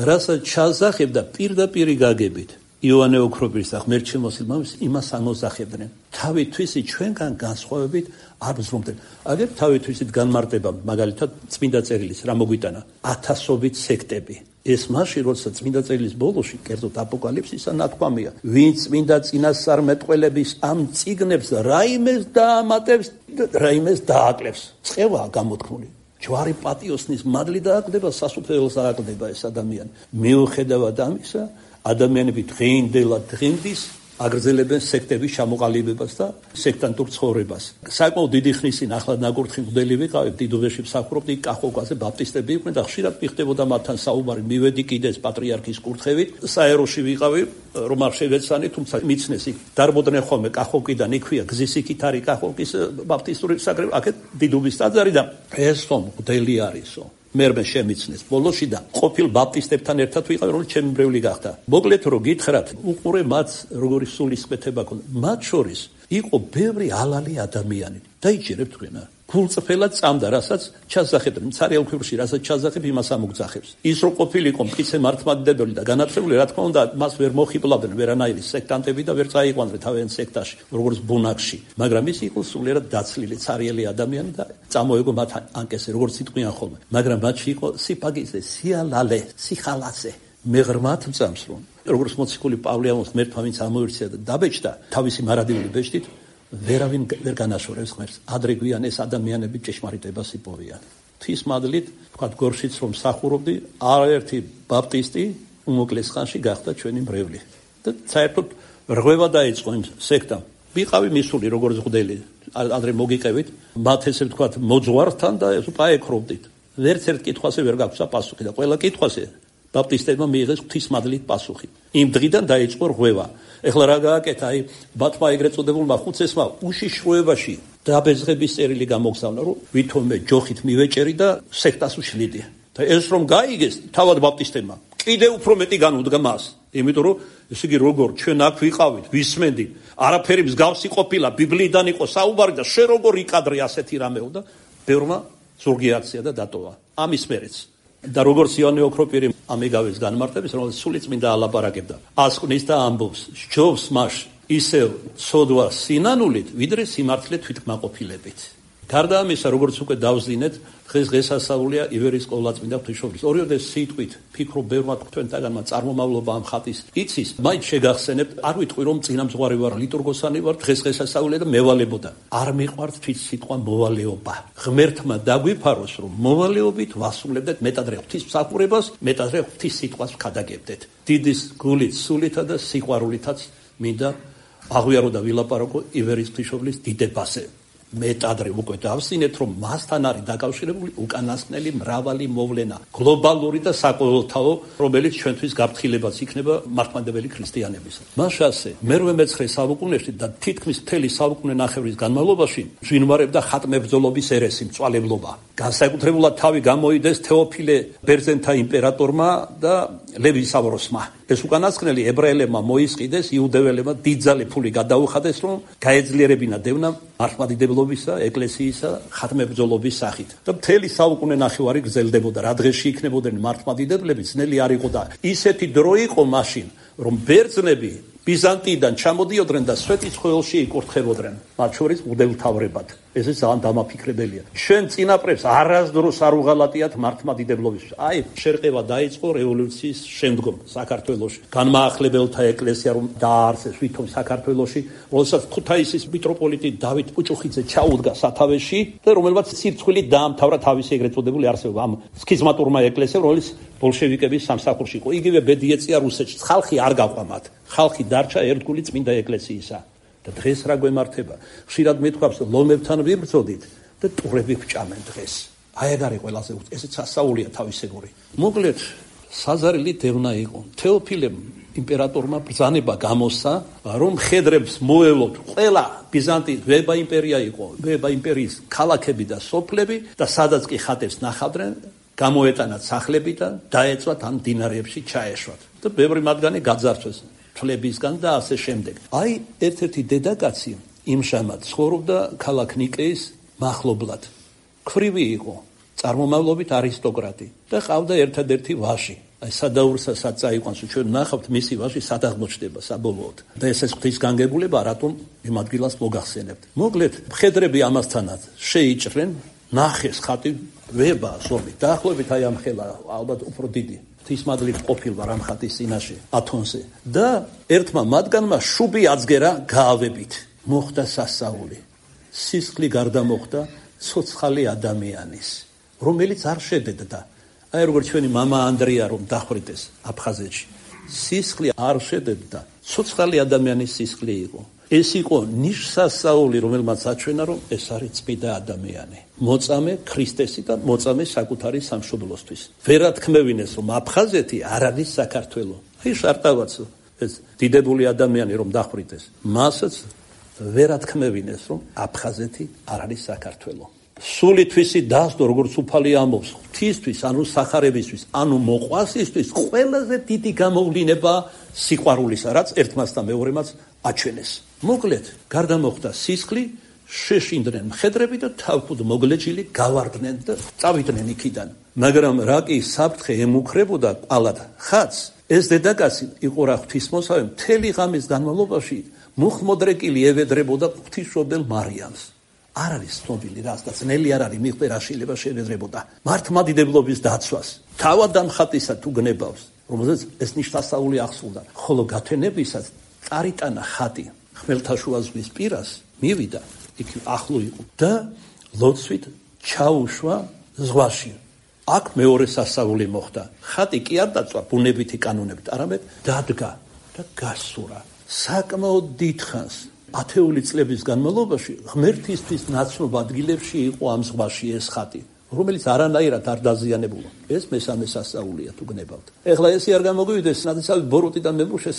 რასაც ჩასახებდა პირდაპირი გაგებით. იოანე ოქროპირის და ღმერთში მოსილმამის იმას ამოსახებდნენ. თავითვისი ჩვენგან განსხვავებით არ ბზრუნდნენ. აგერ თავითვისით განმარტება, მაგალითად წმინდა წერილის რა მოგვიტანა? 1000ობით სექტები. ეს მაშინ, როცა წმინდა წერილის ბოლოში, კერძოდ აპოკალიფსისა ნათქვამია, ვინც წმინდა წინასწარმეტყველების ამ წიგნებს რაიმეს დაამატებს, რაიმეს დააკლებს. წყევაა გამოთქმული. ჯვარი პატიოსნის მადლი დააკლდება, სასუფეველს დააკლდება ეს ადამიანი. მიუხედავად ამისა, ადამიანები დღეინდელად დღინდის აგრძელებენ სექტების ჩამოყალიბებას და სექტანტურ ცხოვრებას. საკმაოდ დიდი ხნის წინ ახლად ნაკურთხი მღვდელი ვიყავით, დიდუბეში მსახურობდი, კახოკაზე ბაპტისტები იყვნენ და ხშირად მიხდებოდა მათთან საუბარი. მივედი კიდეც პატრიარქის კურთხევით, საეროში ვიყავი, რომ არ შევეცანი, თუმცა მიცნეს იქ დარბოდნენ ხოლმე კახოკიდან, იქვია გზის იქით არის კახოკის ბაპტისტური საკრებულო, აქეთ დიდუბის ტაძარი და ესო მღვდელი არისო. მერმე შემიცნეს ბოლოში და ყოფილ ბაპტისტებთან ერთად ვიყავი, რომ ჩემი მრევლი გახდა. მოკლედ რომ გითხრათ, უყურე მათ როგორი სულისკვეთება ქონდა. მათ შორის იყო ბევრი ალალი ადამიანი. დაიჭირებთ თქვენა. გულწრფელად წამდა, რასაც ჩასახებდნენ. ცარიელ ქვრივში, რასაც ჩასახებ, იმას ამოგძახებს. ის რომ ყოფილიყო მტკიცე მართლმადიდებელი და განათლებული, რა თქმა უნდა, მას ვერ მოხიბლავდნენ ვერანაირი სექტანტები და ვერ წაიყვანდნენ თავიანთ სექტაში, როგორც ბუნაგში. მაგრამ ის იყო სულიერად დაცლილი ცარიელი ადამიანი და წამოეგო მათ ანკესე, როგორც იტყვიან ხოლმე. მაგრამ მათში იყო სიფაგიზე, სიალალე, სიხალასე. მე ღრმად მწამს, რომ როგორც მოციქული პავლე ღმერთმა ვინც ამოირჩია და დაბეჭდა თავისი მარადიული ბეჭდით, ვერავინ ვერ განაშორებს ღმერთს. ადრე გვიან ეს ადამიანები ჭეშმარიტებას იპოვიან. ღვთის მადლით, თქვა გორშიც რომ მსახურობდი, არაერთი ბაპტისტი უმოკლეს ხანში გახდა ჩვენი მრევლი. და საერთოდ რღვევა დაიწყო იმ სექტამ. ვიყავი მისული როგორც მღვდელი, ადრე მოგიყევით, მათ ესე ვთქვათ მოძღვართან და პაექრობდით. ვერც ერთ კითხვაზე ვერ გაგვცა პასუხი და ყველა კითხვაზე ბაპტისტებმა მიიღეს ღვთის მადლით პასუხი. იმ დღიდან დაიწყო რღვევა. ეხლა რა გააკეთა, აი ბათმა ეგრეთ წოდებულმა ხუცესმა უშიშროებაში დაბეძღების წერილი გამოგზავნა, რომ ვითომე ჯოხით მივეჭერი და სექტას უშლიდი. და ეს რომ გაიგეს თავად ბაპტისტებმა, კიდე უფრო მეტი განუდგა მას. იმიტომ რომ ესე იგი როგორ ჩვენ აქ ვიყავით, ვისმენდი, არაფერი მსგავსი ყოფილა, ბიბლიიდან იყო საუბარი და შე როგორ იკადრე ასეთი რამეო და ბევრმა ზურგი აქცია და დატოვა. ამის მერეც და როგორც იოანე ოქროპირი ამიგავეს განმარტებს, რომელიც სული წმინდა ალაპარაკებდა, ასკვნის და ამბობს, სჯობს მას ისევ ცოდვა სინანულით, ვიდრე სიმართლე თვითკმაყოფილებით. გარდა ამისა, როგორც უკვე დავზინეთ, დღესასწაულია ივერის ყოვლადწმინდა ღვთისმშობლის. ორიოდე სიტყვით ფიქრობ ბევრმა თქვენთაგანმა წარმომავლობა ამ ხატის იცის, მაინც შეგახსენებთ, არ ვიტყვი რომ წინამძღვარი ვარ, ლიტურგოსანი ვარ, დღესასწაულია და მევალებოდა. არ მიყვართ თვით სიტყვა მოვალეობა. ღმერთმა დაგვიფაროს, რომ მოვალეობით ვასრულებდეთ მეტადრე ღვთის მსახურებას, მეტადრე ღვთის სიტყვას ვქადაგებდეთ. დიდის გულით, სულითა და სიყვარულითაც მინდა აღვიარო და ვილაპარაკო ივერის ღვთისმშობლის დიდებაზე. მეტადრე უკვე დავსინეთ, რომ მასთან არის დაკავშირებული უკანასკნელი მრავალი მოვლენა, გლობალური და საყოველთაო, რომელიც ჩვენთვის გაფრთხილებაც იქნება მართლმადიდებელი ქრისტიანებისა. მასასე მე-19 საუკუნეში და თითქმის მთელი საუკუნე ნახევრის განმავლობაში ჟინვარებდა ხატმებრძოლობის ერესი, მწვალებლობა. განსაკუთრებულად თავი გამოიდეს თეოფილე ბერძენთა იმპერატორმა და ლევი სავროსმა. ეს უკანასკნელი ებრაელებმა მოისყიდეს, იუდეველებმა დიდძალი ფული გადაუხადეს, რომ გაეძლიერებინა დევნა მართლმადიდებლობისა, ეკლესიისა, ხატმებრძოლობის სახით. და მთელი საუკუნე ნახევარი გრძელდებოდა, რა დღეში იქნებოდნენ მართლმადიდებლები, ძნელი არ იყო და ისეთი დრო იყო მაშინ, რომ ბერძნები ბიზანტიიდან ჩამოდიოდნენ და სვეტის ხეილში იკურთხებოდნენ, მათ შორის მღვდელმთავრებად. ეს ძალიან დამაფიქრებელია. ჩვენ წინაპრებს არასდროს არ უღალატიათ მართლმადიდებლობის. აი, შერყევა დაიწყო რევოლუციის შემდგომ საქართველოში. განმაახლებელთა ეკლესია რომ დააარსეს ვითომ საქართველოში, როდესაც ქუთაისის მიტროპოლიტი დავით პუჭუხიძე ჩაუდგა სათავეში და რომელმაც სირცხვილი დაამთავრა თავისი ეგრეთ წოდებული არსებობა ამ სქიზმატურმა ეკლესიამ, რომელიც ბოლშევიკების სამსახურში იყო. იგივე ბედი ეწია რუსეთში. ხალხი არ გაყვამათ. ხალხი დარჩა ერთგული წმინდა ეკლესიისა. და დღეს რა გვემართება? ხშირად მეთქვამს, ლომებთან ვიბრძოდით და ტურები გვჭამენ დღეს. აი ეგ არის ყველაზე ესეც სასაულია თავისებური. მოკლედ საზარელი დევნა იყო. თეოფილემ იმპერატორმა ბრძანება გამოსცა, რომ მხედრებს მოევლოთ ყველა ბიზანტიის ვება იმპერია იყო, ვება იმპერიის ქალაქები და სოფლები და სადაც კი ხატებს ნახავდნენ, გამოეტანათ სახლები და დაეწვათ ამ დინარეებში ჩაეშვათ. და ბევრი მათგანი გაძარცვეს თვლებისგან და ასე შემდეგ. აი ერთ-ერთი დედაკაცი იმშამად ცხოვრობდა ქალაქ ნიკეის მახლობლად. ქვრივი იყო, წარმომავლობით არისტოკრატი და ყავდა ერთადერთი ვაჟი. აი სადაურსაც წაიყვანს, ჩვენ ნახავთ მისი ვაჟი სად აღმოჩნდება საბოლოოდ. და ეს ღვთის განგებულება რატომ იმ ადგილას მოგახსენებთ. მოკლედ, მხედრები ამასთანაც შეიჭრნენ, ნახეს ხატი ვება ზომით. დაახლოებით აი ამ ხელა ალბათ უფრო დიდი. ღვთისმადლით ყოფილვარ ამ ხატის წინაშე ათონზე და ერთმა მათგანმა შუბი აწგერა გაავებით. მოხდა სასწაული. სისხლი გარდა მოხდა ცოცხალი ადამიანის, რომელიც არ შედედდა. აი როგორც ჩვენი мама ანდრია რომ დახვრიტეს აფხაზეთში. სისხლი არ შედედდა, ცოცხალი ადამიანის სისხლი იყო. ეს იყო ნიშსასწაული, რომელმაც აჩვენა, რომ ეს არის წმინდა ადამიანი. მოწამე ქრისტესი და მოწამე საკუთარი სამშობლოსთვის. ვერათქმევინეს, რომ აფხაზეთი არ არის საქართველო. აი შარტავაც ეს დიდებული ადამიანი რომ დახვრიტეს. მასაც ვერათქმევინეს, რომ აფხაზეთი არ არის საქართველო. სული თვისი დასდო, როგორც უფალი ამბობს, ღვთისთვის, ანუ სახარებისთვის, ანუ მოყვასისთვის, ყველაზე დიდი გამოვლინება სიყვარულისა, რაც ერთმას და მეორემაც აჩვენეს. მოკლედ, გარდა მოხდა სისხლი, შეშინდნენ მხედრები და თავქუდ მოგლეჯილი გავარდნენ და წავიდნენ იქიდან. მაგრამ რა კი საფრთხე ემუქრებოდა ყალად ხატს, ეს დედაკაცი იყო რა ღვთისმოსავე, მთელი ღამის განმავლობაში მუხმოდრეკილი ევედრებოდა ღვთისმშობელ მარიამს. არ არის ცნობილი რას და ძნელი არ არის მიხვდა რა შეიძლება შევედრებოდა მართლმადიდებლობის დაცვას. თავად დამხატისა თუ გნებავს, რომელზეც ეს ნიშნასწაული ახსოვდა, ხოლო გათენებისას წარიტანა ხატი ხმელთაშუა ზღვის პირას, მივიდა, იქ ახლო იყო და ლოცვით ჩაუშვა ზღვაში. აქ მეორე სასწაული მოხდა. ხატი კი არ დაწვა ბუნებითი კანონებით, არამედ დადგა და გასურა. საკმაოდ დიდხანს ათეული წლების განმავლობაში ღმერთისთვის ნაცნობ ადგილებში იყო ამ ზღვაში ეს ხატი, რომელიც არანაირად არ დაზიანებულა. ეს მესამე სასწაულია თუ გნებავთ. ეხლა ესე არ გამოგვივიდეს, ნაცნობი ბოროტი და მებუშე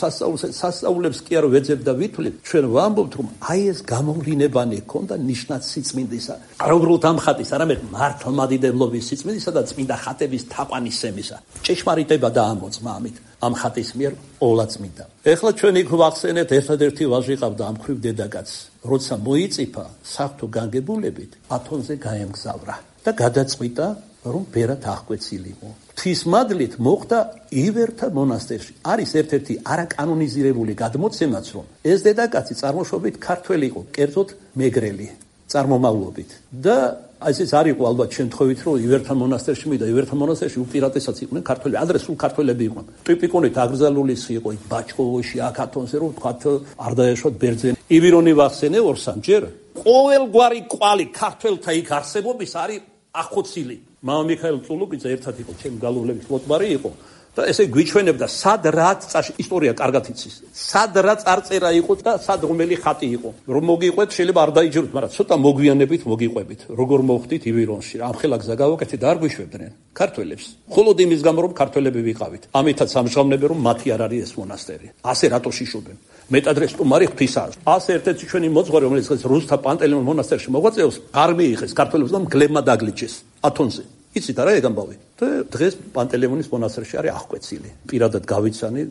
სასწაულებს კი არ ვეძებ და ვითვლით, ჩვენ ვამბობთ, რომ აი ეს გამოვლინებანი ჰქონდა ნიშნად სიწმინდისა. არ უბრალოდ ამ ხატის, არამედ მართლმადიდებლობის სიწმინდისა და წმინდა ხატების თაყვანისცემისა. ჭეშმარიტება დაამოწმა ამით. ამ ხატის მიერ ყოვლადწმინდა. ეხლა ჩვენ იქ ვახსენეთ, ერთადერთი ვაჟი ყავდა ამ ქვრივ დედაკაცს. როცა მოიწიფა საღვთო განგებულებით, ათონზე გაემგზავრა და გადაწყვიტა, რომ ბერად აღკვეცილიყო. ღვთისმადლით მოხდა ივერთა მონასტერში. არის ერთ-ერთი არაკანონიზირებული გადმოცემაც, რომ ეს დედაკაცი წარმოშობით ქართველი იყო, კერძოდ მეგრელი წარმომავლობით და ესეც არ იყო ალბათ შემთხვევით, რომ ივერთა მონასტერში მიდა, ივერთა მონასტერში უპირატესად იყვნენ ქართველები, ადრე სულ ქართველები იყვნენ. ტიპიკონით აგზალულის იყო იქ ბაჭკოვოში, აქ ათონზე, რომ თქვათ არ დაეშვათ ბერძენი. ივირონი ვახსენე ორსამჯერ. ყოველგვარი კვალი ქართველთა იქ არსებობის არის ახოცილი. მამა მიხაილ წულუკიძე ერთად იყო, ჩემი გალუვლების ლოტბარი იყო. და ესე გვიჩვენებდა სად რაც ისტორია კარგად იცის. სად რაც არწერა იყო და სად რომელი ხატი იყო. რომ მოგიყვეთ შეიძლება არ დაიჯეროთ, მაგრამ ცოტა მოგვიანებით მოგიყვებით. როგორ მოხდით ივირონში, ამ ხელა გზა გავაკეთეთ და არ გვიშვებდნენ ქართველებს. მხოლოდ იმის გამო რომ ქართველები ვიყავით. ამითაც ამჟღავნებენ რომ მათი არ არის ეს მონასტერი. ასე რატო შიშობენ? მეტადრე სტუმარი ღვთისაა. ასე ერთ-ერთი ჩვენი მოძღვარი, რომელიც რუსთა პანტელეიმონ მონასტერში მოღვაწეობს, არ მიიღეს ქართველებს და მგლებმა დაგლიჩეს ათონზე. იცით არა ეგ ამბავი? და დღეს პანტელეიმონის მონასტერში არის აღკვეცილი. პირადად გავიცანი,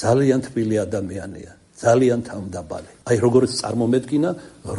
ძალიან თბილი ადამიანია, ძალიან თავმდაბალი. აი როგორც წარმომედგინა,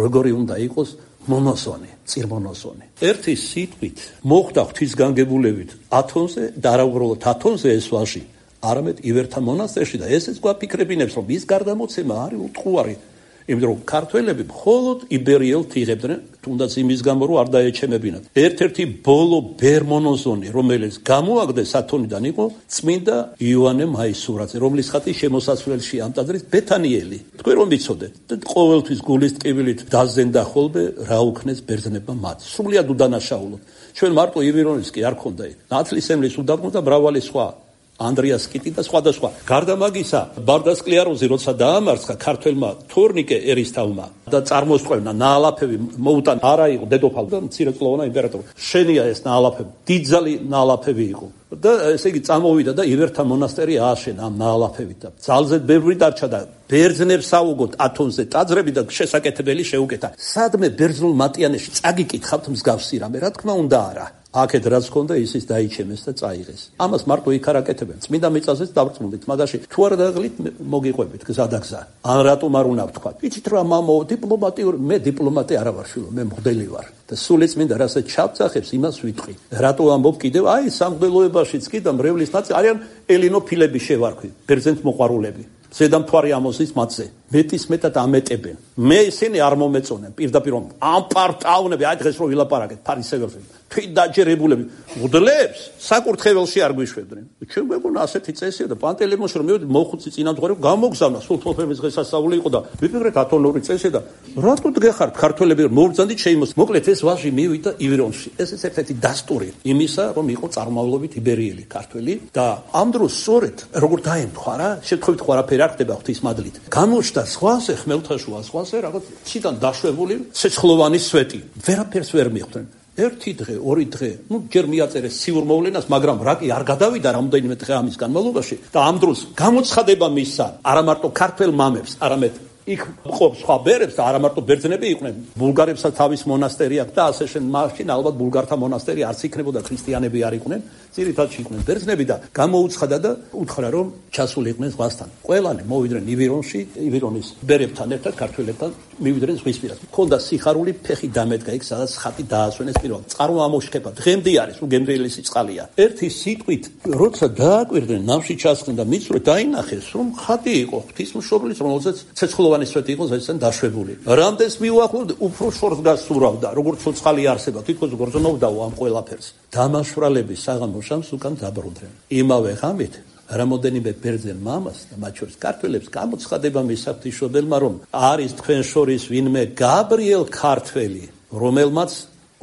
როგორი უნდა იყოს მონოსონი, წირმონოსონი. ერთი სიტყვით მოხდა ღვთისგანგებულებით ათონზე და არა უბრალოდ ათონზე ეს ვაჟი, არამედ ივერთა მონასტერში და ესეც გვაფიქრებინებს, რომ ის გარდამოცემა არის უტყუარი. იმიტომ რომ ქართველები მხოლოდ იბერიელთ იღებდნენ, თუნდაც იმის გამო რომ არ დაეჩემებინათ. ერთ-ერთი ბოლო ბერმონოზონი, რომელიც გამოაგდეს ათონიდან იყო წმინდა იოანე მაისურაძე, რომლის ხატი შემოსასვლელში ამ ტაძრის ბეთანიელი. თქვენ რომ ვიცოდეთ და ყოველთვის გულის ტკივილით დაზენდა ხოლმე რა უქნეს ბერძნებმა მათ. სრულიად უდანაშაულოდ. ჩვენ მარტო ივირონის კი არ ქონდა იქ. ნათლისმლის უდაბნო და მრავალი სხვა. ანდრიას კიტი და სხვადასხვა. გარდა მაგისა, ბარდასკლიეროზი როცა დაამარცხა ქართველმა თორნიკე ერისთავმა და წარმოსწევნა ნაალაფები მოუტანა, არა იყო დედოფალ და მცირეწლოვანა იმპერატორი. შენია ეს ნაალაფები, დიდძალი ნაალაფები იყო. და ესე იგი წამოვიდა და ივერთა მონასტერი ააშენა ამ ნაალაფებით და ძალზედ ბევრი დარჩა და ბერძნებს აუგოთ ათონზე ტაძრები და შესაკეთებელი შეუკეთა. სადმე ბერძნულ მატიანეში წაგიკითხავთ მსგავსი რამე, რა თქმა უნდა არა. აქეთ რაც ჰქონდა ისიც დაიჩემეს და წაიღეს. ამას მარტო იქ არ აკეთებენ. წმინდა მიწაზეც დავწმუნდით, მაგაში თუ არ დაღლით მოგიყვებით გზადაგზა. ან რატომ არ უნდა ვთქვა? იცით რა მამო, დიპლომატიური, მე დიპლომატი არა ვარ შვილო, მე მღვდელი ვარ. და სული წმინდა რასაც ჩავწახებს, იმას ვიტყვი. რატო ამბობ კიდევ? აი სამღვდელოებაშიც კი და მრევლის ნაწილი არიან ელინოფილები შევარქვი, ბერძენთ მოყვარულები. ზედამთვარი ამოსის მათზე. მეტის მეტად ამეტებენ. მე ისინი არ მომეწონენ. პირდაპირ ამ პარტაუნები, აი დღეს რო ვილაპარაკეთ ფარისეველს. თვით დაჯერებულები მღვდლებს საკურთხეველში არ გვიშვებდნენ. ჩვენ გვეგონა ასეთი წესია და პანტელეიმონში რომ მივედი მოხუცი წინამძღვარი გამოგზავნა სულთოფების დღესასწაული იყო და ვიფიქრეთ ათონური წესი და რატო დგეხართ ქართველები მოვბრძანდით შეიმოს. მოკლედ ეს ვაჟი მივიდა ივერონში. ეს ერთ-ერთი დასტური იმისა რომ იყო წარმავლობით იბერიელი ქართველი და ამ დროს სწორედ როგორ დაემთხვა რა შეთხოვით ხო არაფერი არ ხდება ღვთისმადლით. გამოჩნდა სხვაზე ხმელთაშუა სხვაზე რაღაც ციდან დაშვებული ცეცხლოვანი სვეტი. ვერაფერს ვერ მიხვდნენ. ერთი დღე, ორი დღე, ჯერ მიაწერეს ციურ მოვლენას, მაგრამ რაკი არ გადავიდა რამდენიმე დღე ამის განმავლობაში და ამ დროს გამოცხადება მისცა არა მარტო ქართველ მამებს, არამედ იქ ყოფს სხვა ბერებს და არა მარტო ბერძნები იყვნენ, ბულგარებსაც თავის მონასტერი აქვს და ასე შენ მაშინ ალბათ ბულგართა მონასტერი არც იქნებოდა, ქრისტიანები არ იყვნენ, ძირითადად იყვნენ ბერძნები და გამოუცხადა და უთხრა რომ ჩასულიყვნენ ზღვასთან. ყველანი მოვიდნენ ივერონში, ივერონის ბერებთან ერთად ქართველებთან მივიდნენ ზღვისპირას. ქონდა სიხარული, ფეხი დამედგა იქ, სადაც ხატი დაასვენეს პირველად. წყარო ამოშქება, დღემდე არის, უგემრიელი სიწყალია. ერთი სიტყვით, როცა დააკვირდნენ, ნავში ჩასხდნენ და მიწვე დაინახეს, რომ ხატი იყო ღვთისმშობლის, რომელზეც ცეცხლოვანი სვეტი იყო ზედან დაშვებული. რამდენს მიუახლოვდა, უფრო შორს გასურავდა, როგორც ცოცხალი არსება, თითქოს გრძნობდაო ამ ყველაფერს. დამაშვრალების საღამოშამს უკან დაბრუნდნენ. იმავე ღამით რამოდენიმე ბერძენ მამას და მათ შორის ქართველებს გამოცხადება მისცა ღვთისმშობელმა, რომ არის თქვენ შორის ვინმე გაბრიელ ქართველი, რომელმაც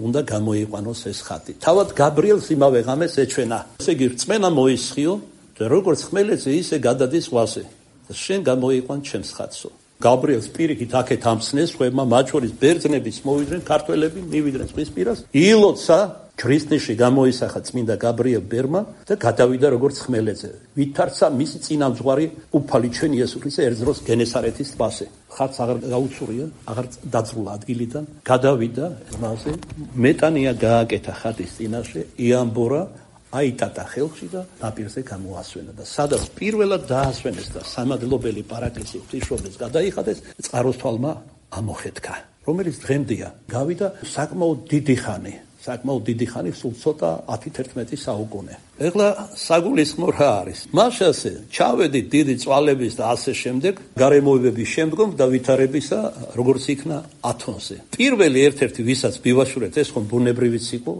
უნდა გამოიყვანოს ეს ხატი. თავად გაბრიელს იმავე ღამეს ეჩვენა. ესე იგი რწმენა მოისხიო და როგორც ხმელეთზე ისე გადადის ზღვაზე. შენ გამოიყვან ჩემს ხატსო. გაბრიელს პირიქით აქეთ ამცნეს ხვებმა, მათ შორის ბერძნებიც მოვიდნენ, ქართველები მივიდნენ ზღვისპირას. ილოცა ქრისტეში გამოისახა წმინდა გაბრიელ ბერმა და გადავიდა როგორც ხმელეთზე. ვითარცა მისი წინამძღვარი უფალი ჩვენ იესო ქრისტე ერთ დროს გენესარეთის ტბაზე. ხატს აღარ გაუცურია, აღარ დაძრულა ადგილიდან, გადავიდა მასე, მეტანია გააკეთა ხატის წინაშე, იამბორა აიტატა ხელში და ნაპირზე გამოასვენა და სადაც პირველად დაასვენეს და სამადლობელი პარაკლისი ღვთისმშობლის გადაიხადეს, წყაროსთვალმა ამოხეთქა, რომელიც დღემდეა. გავიდა საკმაოდ დიდი ხანი, სულ ცოტა 10-11 საუკუნე. ეხლა საგულისხმო რა არის? მაშასე ჩავედით დიდი წვალების და ასე შემდეგ, გარემოებების შემდგომ და ვითარებისა, როგორც იქნა ათონზე. პირველი ერთ-ერთი ვისაც მივაშურეთ, ეს ხომ ბუნებრივიც იყო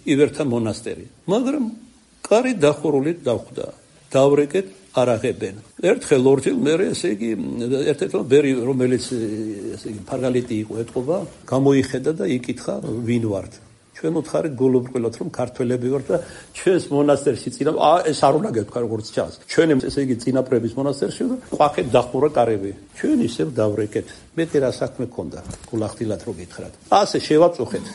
ივერთა მონასტერი. მაგრამ კარი დახურული დახვდა. დავრეკეთ არ აღებენ. ერთხელ ორჯერ მე ესე იგი ერთ-ერთი ბერი რომელიც ესე იგი ფარგალიტი იყო ეთყობა, გამოიხედა და იკითხა ვინ ვართ. ჩვენ უთხარით გულუბრყვილოთ რომ ქართველები ვართ და ჩვენს მონასტერში წინა ეს არ უნდა გეთქვა როგორც ჩანს. ჩვენ ესე იგი წინაპრების მონასტერში და ყვახეთ დახურა კარები. ჩვენ ისევ დავრეკეთ. მეტი რა საქმე ქონდა გულახდილად რო გითხრათ. ასე შევაწუხეთ.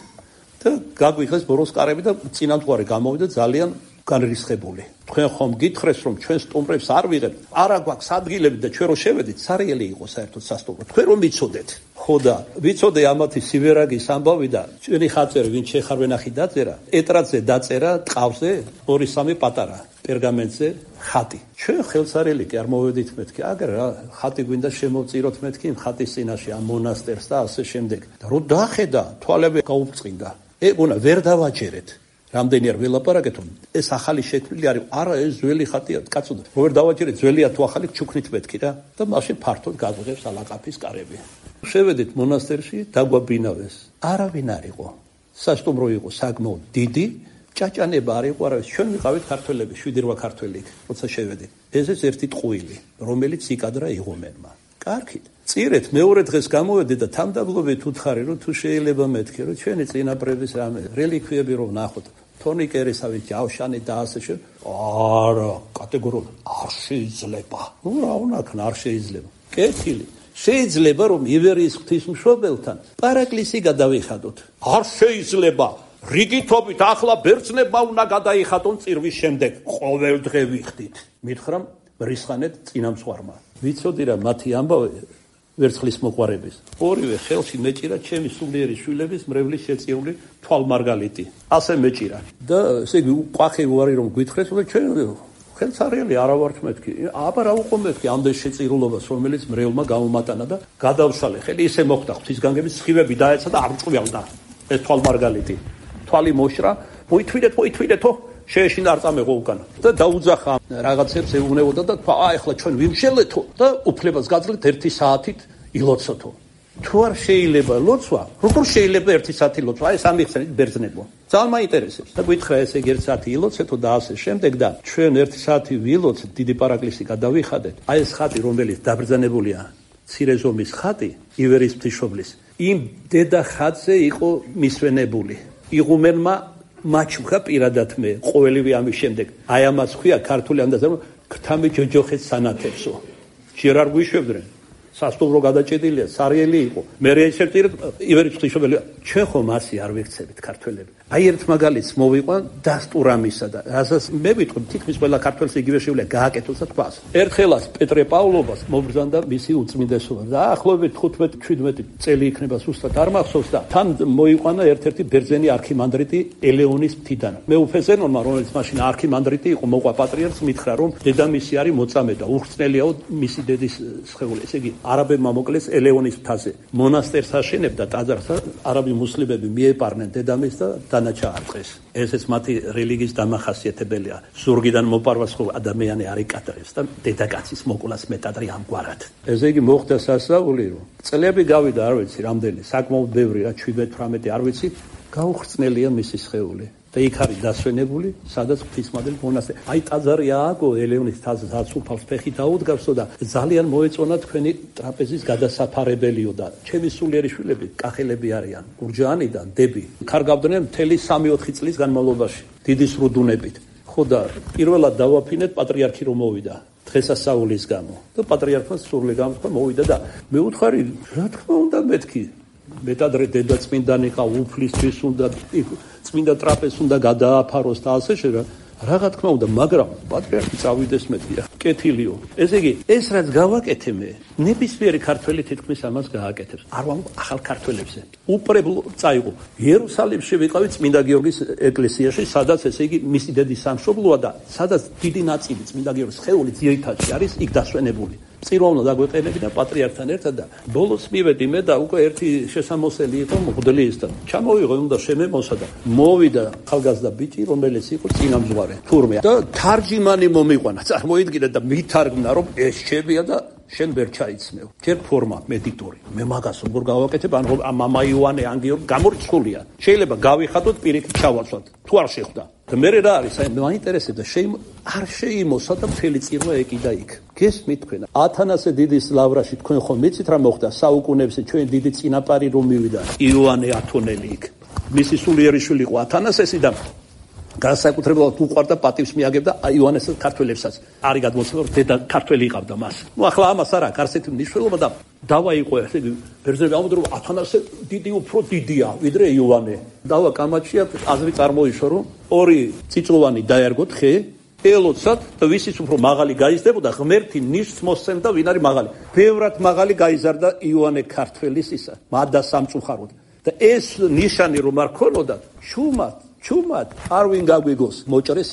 და გაგვიხეს ბოროს კარები და წინამძღვარი გამოვიდა ძალიან განრისხებული. თქვენ ხომ გითხრეს რომ ჩვენ სტუმრებს არ ვიღებთ, არა გვაქვს ადგილები და ჩვენ რო შევედით, სარიელი იყო საერთოდ სასტუმრო. თქვენ რომ მიცოდეთ. ხო და ვიცოდე ამათი სივერაგის ამბავი და ჩვენი ხაწერი ვინ შეხარვენახი დაწერა, ეტრატზე დაწერა ტყავზე 2-3 პატარა პერგამენტზე ხატი. ჩვენ ხელსარელი კი არ მოვედით მეთქი, აგერ რა ხატი გვინდა შემოვწიროთ მეთქი იმ ხატის წინაშე ამ მონასტერს და ასე შემდეგ. და რო დახედა, თვალები გაუფწყინდა. ეგონა ვერ დავაჯერეთ. რამდენი არ ველაპარაკეთ, ეს ახალი შექმნილი არის, არა ეს ძველი ხატია, კაცო, როგორ დავაჯერეთ, ძველია თუ ახალი ჩუქნით მეთქი რა და მაშინ ფართოდ გაგვიღებს ალაყაფის კარები. შევედით მონასტერში, დაგვაბინავეს. არავინ არ იყო. სასტუმრო იყო საკმაოდ დიდი, ჭაჭანება არ იყო, არავის. ჩვენ ვიყავით ქართველები, 7-8 ქართველი, როცა შევედით. ესეც ერთი ტყუილი, რომელიც იკადრა იღუმენმა. კარგით. წირეთ მეორე დღეს გამოვედი და თამდაბლობით უთხარი რომ თუ შეიძლება მეთქი რომ ჩვენი წინაპრების რამე რელიქვიები რომ ნახოთ. თონი კერესავით ჯავშანი და ასე არა, კატეგორიულად არ შეიძლება. რა უნაქნა არ შეიძლება. კეთილი. შეიძლება რომ ივერიის ღვთისმშობელთან პარაკლისი გადავიხადოთ. არ შეიძლება. რიგითობით ახლა ბერძნებმა უნდა გადაიხადონ წირვის შემდეგ. ყოველ დღე ვიხდით. მითხრამ რისხანეთ წინამძღვარმა. ვიცოდი რა მათი ამბავი ვერცხლის მოყვარების. ორივე ხელში მეჭირა ჩემი სულიერი შვილების მრევლის შეწიული თვალმარგალიტი. ასე მეჭირა. და ესე იგი ყვახი უარი რომ გვითხრეს, ჩვენ ხელსარიელი არა ვართ მეთქი. აბა რა უყო მეთქი ამდენ შეწირულობას, რომელიც მრევლმა გამომატანა და გადავშალე. ხელი ისე მოხდა ღვთისგანგების სხივები დაეცა და არ მწვიალდა ეს თვალმარგალიტი. თვალი მოშრა, მოითვიდეთო, შეეშინა არ წამეღო უკანა. და დაუძახა რაღაცებს ეუბნებოდა და თქვა, ეხლა ჩვენ ვიმშელეთო და უფლებას გაძლევთ 1 საათით ილოცოთო. თუ არ შეიძლება ლოცვა, როგორ შეიძლება 1 საათი ლოცვა? ეს ამიხსენით ბერძნებო. ძალიან მაინტერესებს. და გითხრა ესე 1 საათი ილოცეთო და ასე შემდეგ და ჩვენ 1 საათი ვილოცეთ, დიდი პარაკლისი გადავიხადეთ. ეს ხატი, რომელიც დაბრძანებულია, მცირე ზომის ხატი, ივერიის ღვთისმშობლის, იმ დედა ხატზე იყო მისვენებული. იღუმენმა მაჩუხა პირადად მე ყოველივე ამის შემდეგ. აი ამას ხვია ქართული ანდაზა ქთამი ჯოჯოხეთ სანათებსო. ჯერ არ გვიშვებდნენ. სასტუმრო გადაჭედილია, სარიელი იყო. მე ერთ ივერიის ღვთისმშობელი ჩვენ ხომ ასე არ ვიქცევით ქართველები. აი ერთ მაგალითს მოვიყვან დასტურამისა და რასაც მე ვიტყვი თითქმის ყველა ქართველს იგივე შეუძლია გააკეთოს და თქვას. ერთხელაც პეტრე პავლობას მობრძანდა მისი უწმინდესობა და ახლობებით 15-17 წელი იქნება სუსტად არ მახსოვს და თან მოიყვანა ერთ-ერთი ბერძენი არქიმანდრიტი ელეონის მთიდან. მე უფეზენონმა რომელიც მაშინ არქიმანდრიტი იყო მოყვა პატრიარქს მითხრა რომ დედამისი არის მოწამე და უხრწნელიაო მისი დედის სხეული. ესე იგი არაბებმა მოკლეს ელეონის მთაზე. მონასტერს აშენებდა ტაძარს და არაბი მუსლიმები მიეპარნენ დედამისს და დანაჩაარყეს. ესეც მათი რელიგიის დამახასიათებელია. ზურგიდან მოპარვას ხო ადამიანი არ იკადრებს და დედაკაცის მოკლას მეტად ამგვარად. ესე იგი მოხდა სასწაული რომ წლები გავიდა არ ვიცი რამდენი, საკმაოდ ბევრი რა 17-18 არ ვიცი, გაუხრწნელია მისი სხეული. და იქ არის დასვენებული, სადაც ღვთისმადელი მონასტერი. აი ტაძარი ააგო ელეონის თაზს აცუფავს ფეხი დაუდგავსო და ძალიან მოეწონა თქვენი ტრაპეზის გადასაფარებელიო და ჩემი სულიერი შვილები კახელები არიან. გურჯაანიდან დები. კარგავდნენ მთელი 3-4 წლის განმავლობაში, დიდი სრუდუნებით. ხო და პირველად დავაფინეთ პატრიარქი რომ მოვიდა. დღესასწაულის გამო. და პატრიარქმა სურვილი გამოთქვა მოვიდა და მე უთხარი, რა თქმა უნდა მეთქი. მეტადრე დედა წმინდანი ყავ უფლისთვის უნდა წმინდა ტრაპეზს უნდა გადააფაროს და ასე შედა. რა თქმა უნდა, მაგრამ პატრიარქი წავიდეს მეთქია. კეთილიო. ესე იგი, ეს რაც გავაკეთე მე, ნებისმიერი ქართველი თითქმის ამას გააკეთებს. არ ვამბობ ახალ ქართველებზე. უპრებლო წაიღო. იერუსალიმში ვიყავი წმინდა გიორგის ეკლესიაში, სადაც ესე იგი მისი დედის სამშობლოა და სადაც დიდი ნაწილი წმინდა გიორგის სხეული ძირითადში არის იქ დასვენებული. წირვავნა დაგვეყენებინა პატრიარქთან ერთად და ბოლოს მივედი მე და უკვე ერთი შესამოსელი იყო მღვდლიისთან. ჩამოვიღო უნდა შემემოსა და მოვიდა ხალგაზრდა ბიჭი, რომელიც იყო წინამძღვარი თურმე და თარჯიმანი მომიყვანა. წარმოიდგინე და მითარგმნა რომ ეს შევია და შენ ვერ ჩაიცმევ. ჯერ ფორმა მედიტორი. მე მაგას როგორ გავაკეთებ? ან მამა იოანე ან გიორგი გამორჩხულია. შეიძლება გავიხადოთ პირიქით ჩავაცვათ. თუ არ შეხვდა. და მე რა არის? აი მაინტერესებდა არ შეიმოსა და მთელი წირვა ეკიდა იქ. გესმით თქვენ? ათანასე დიდის ლავრაში თქვენ ხომ მიცით რა მოხდა? საუკუნეებში ჩვენ დიდი წინაპარი რომ მივიდა იოანე ათონელი იქ. მისი სულიერი შვილი იყო ათანასესი და განსაკუთრებულად უყვარდა პატივს მიაგებდა იოანესს ქართველებსაც. არის გადმოცემა რომ დედა ქართველი იყავდა მას. ნუ ახლა ამას არა აქვს ასეთი მნიშვნელობა და დავა იყო ესე იგი ბერძნები ამბობდნენ რომ ათანასე დიდი უფრო დიდია ვიდრე იოანე. დავა კამაჩია აზრი წარმოიშვა რომ ორი წიწოვანი დაერგოთ ხე ელოცად და ვისიც უფრო მაღალი გაიზრდებოდა ღმერთი ნიშს მოსცემდა ვინ არის მაღალი. ბევრად მაღალი გაიზარდა იოანე ქართველის ისა მადა სამწუხაროდ და ეს ნიშანი რომ არ ქონოდა ჩუმად არ ვინ გაგვიგოს მოჭრეს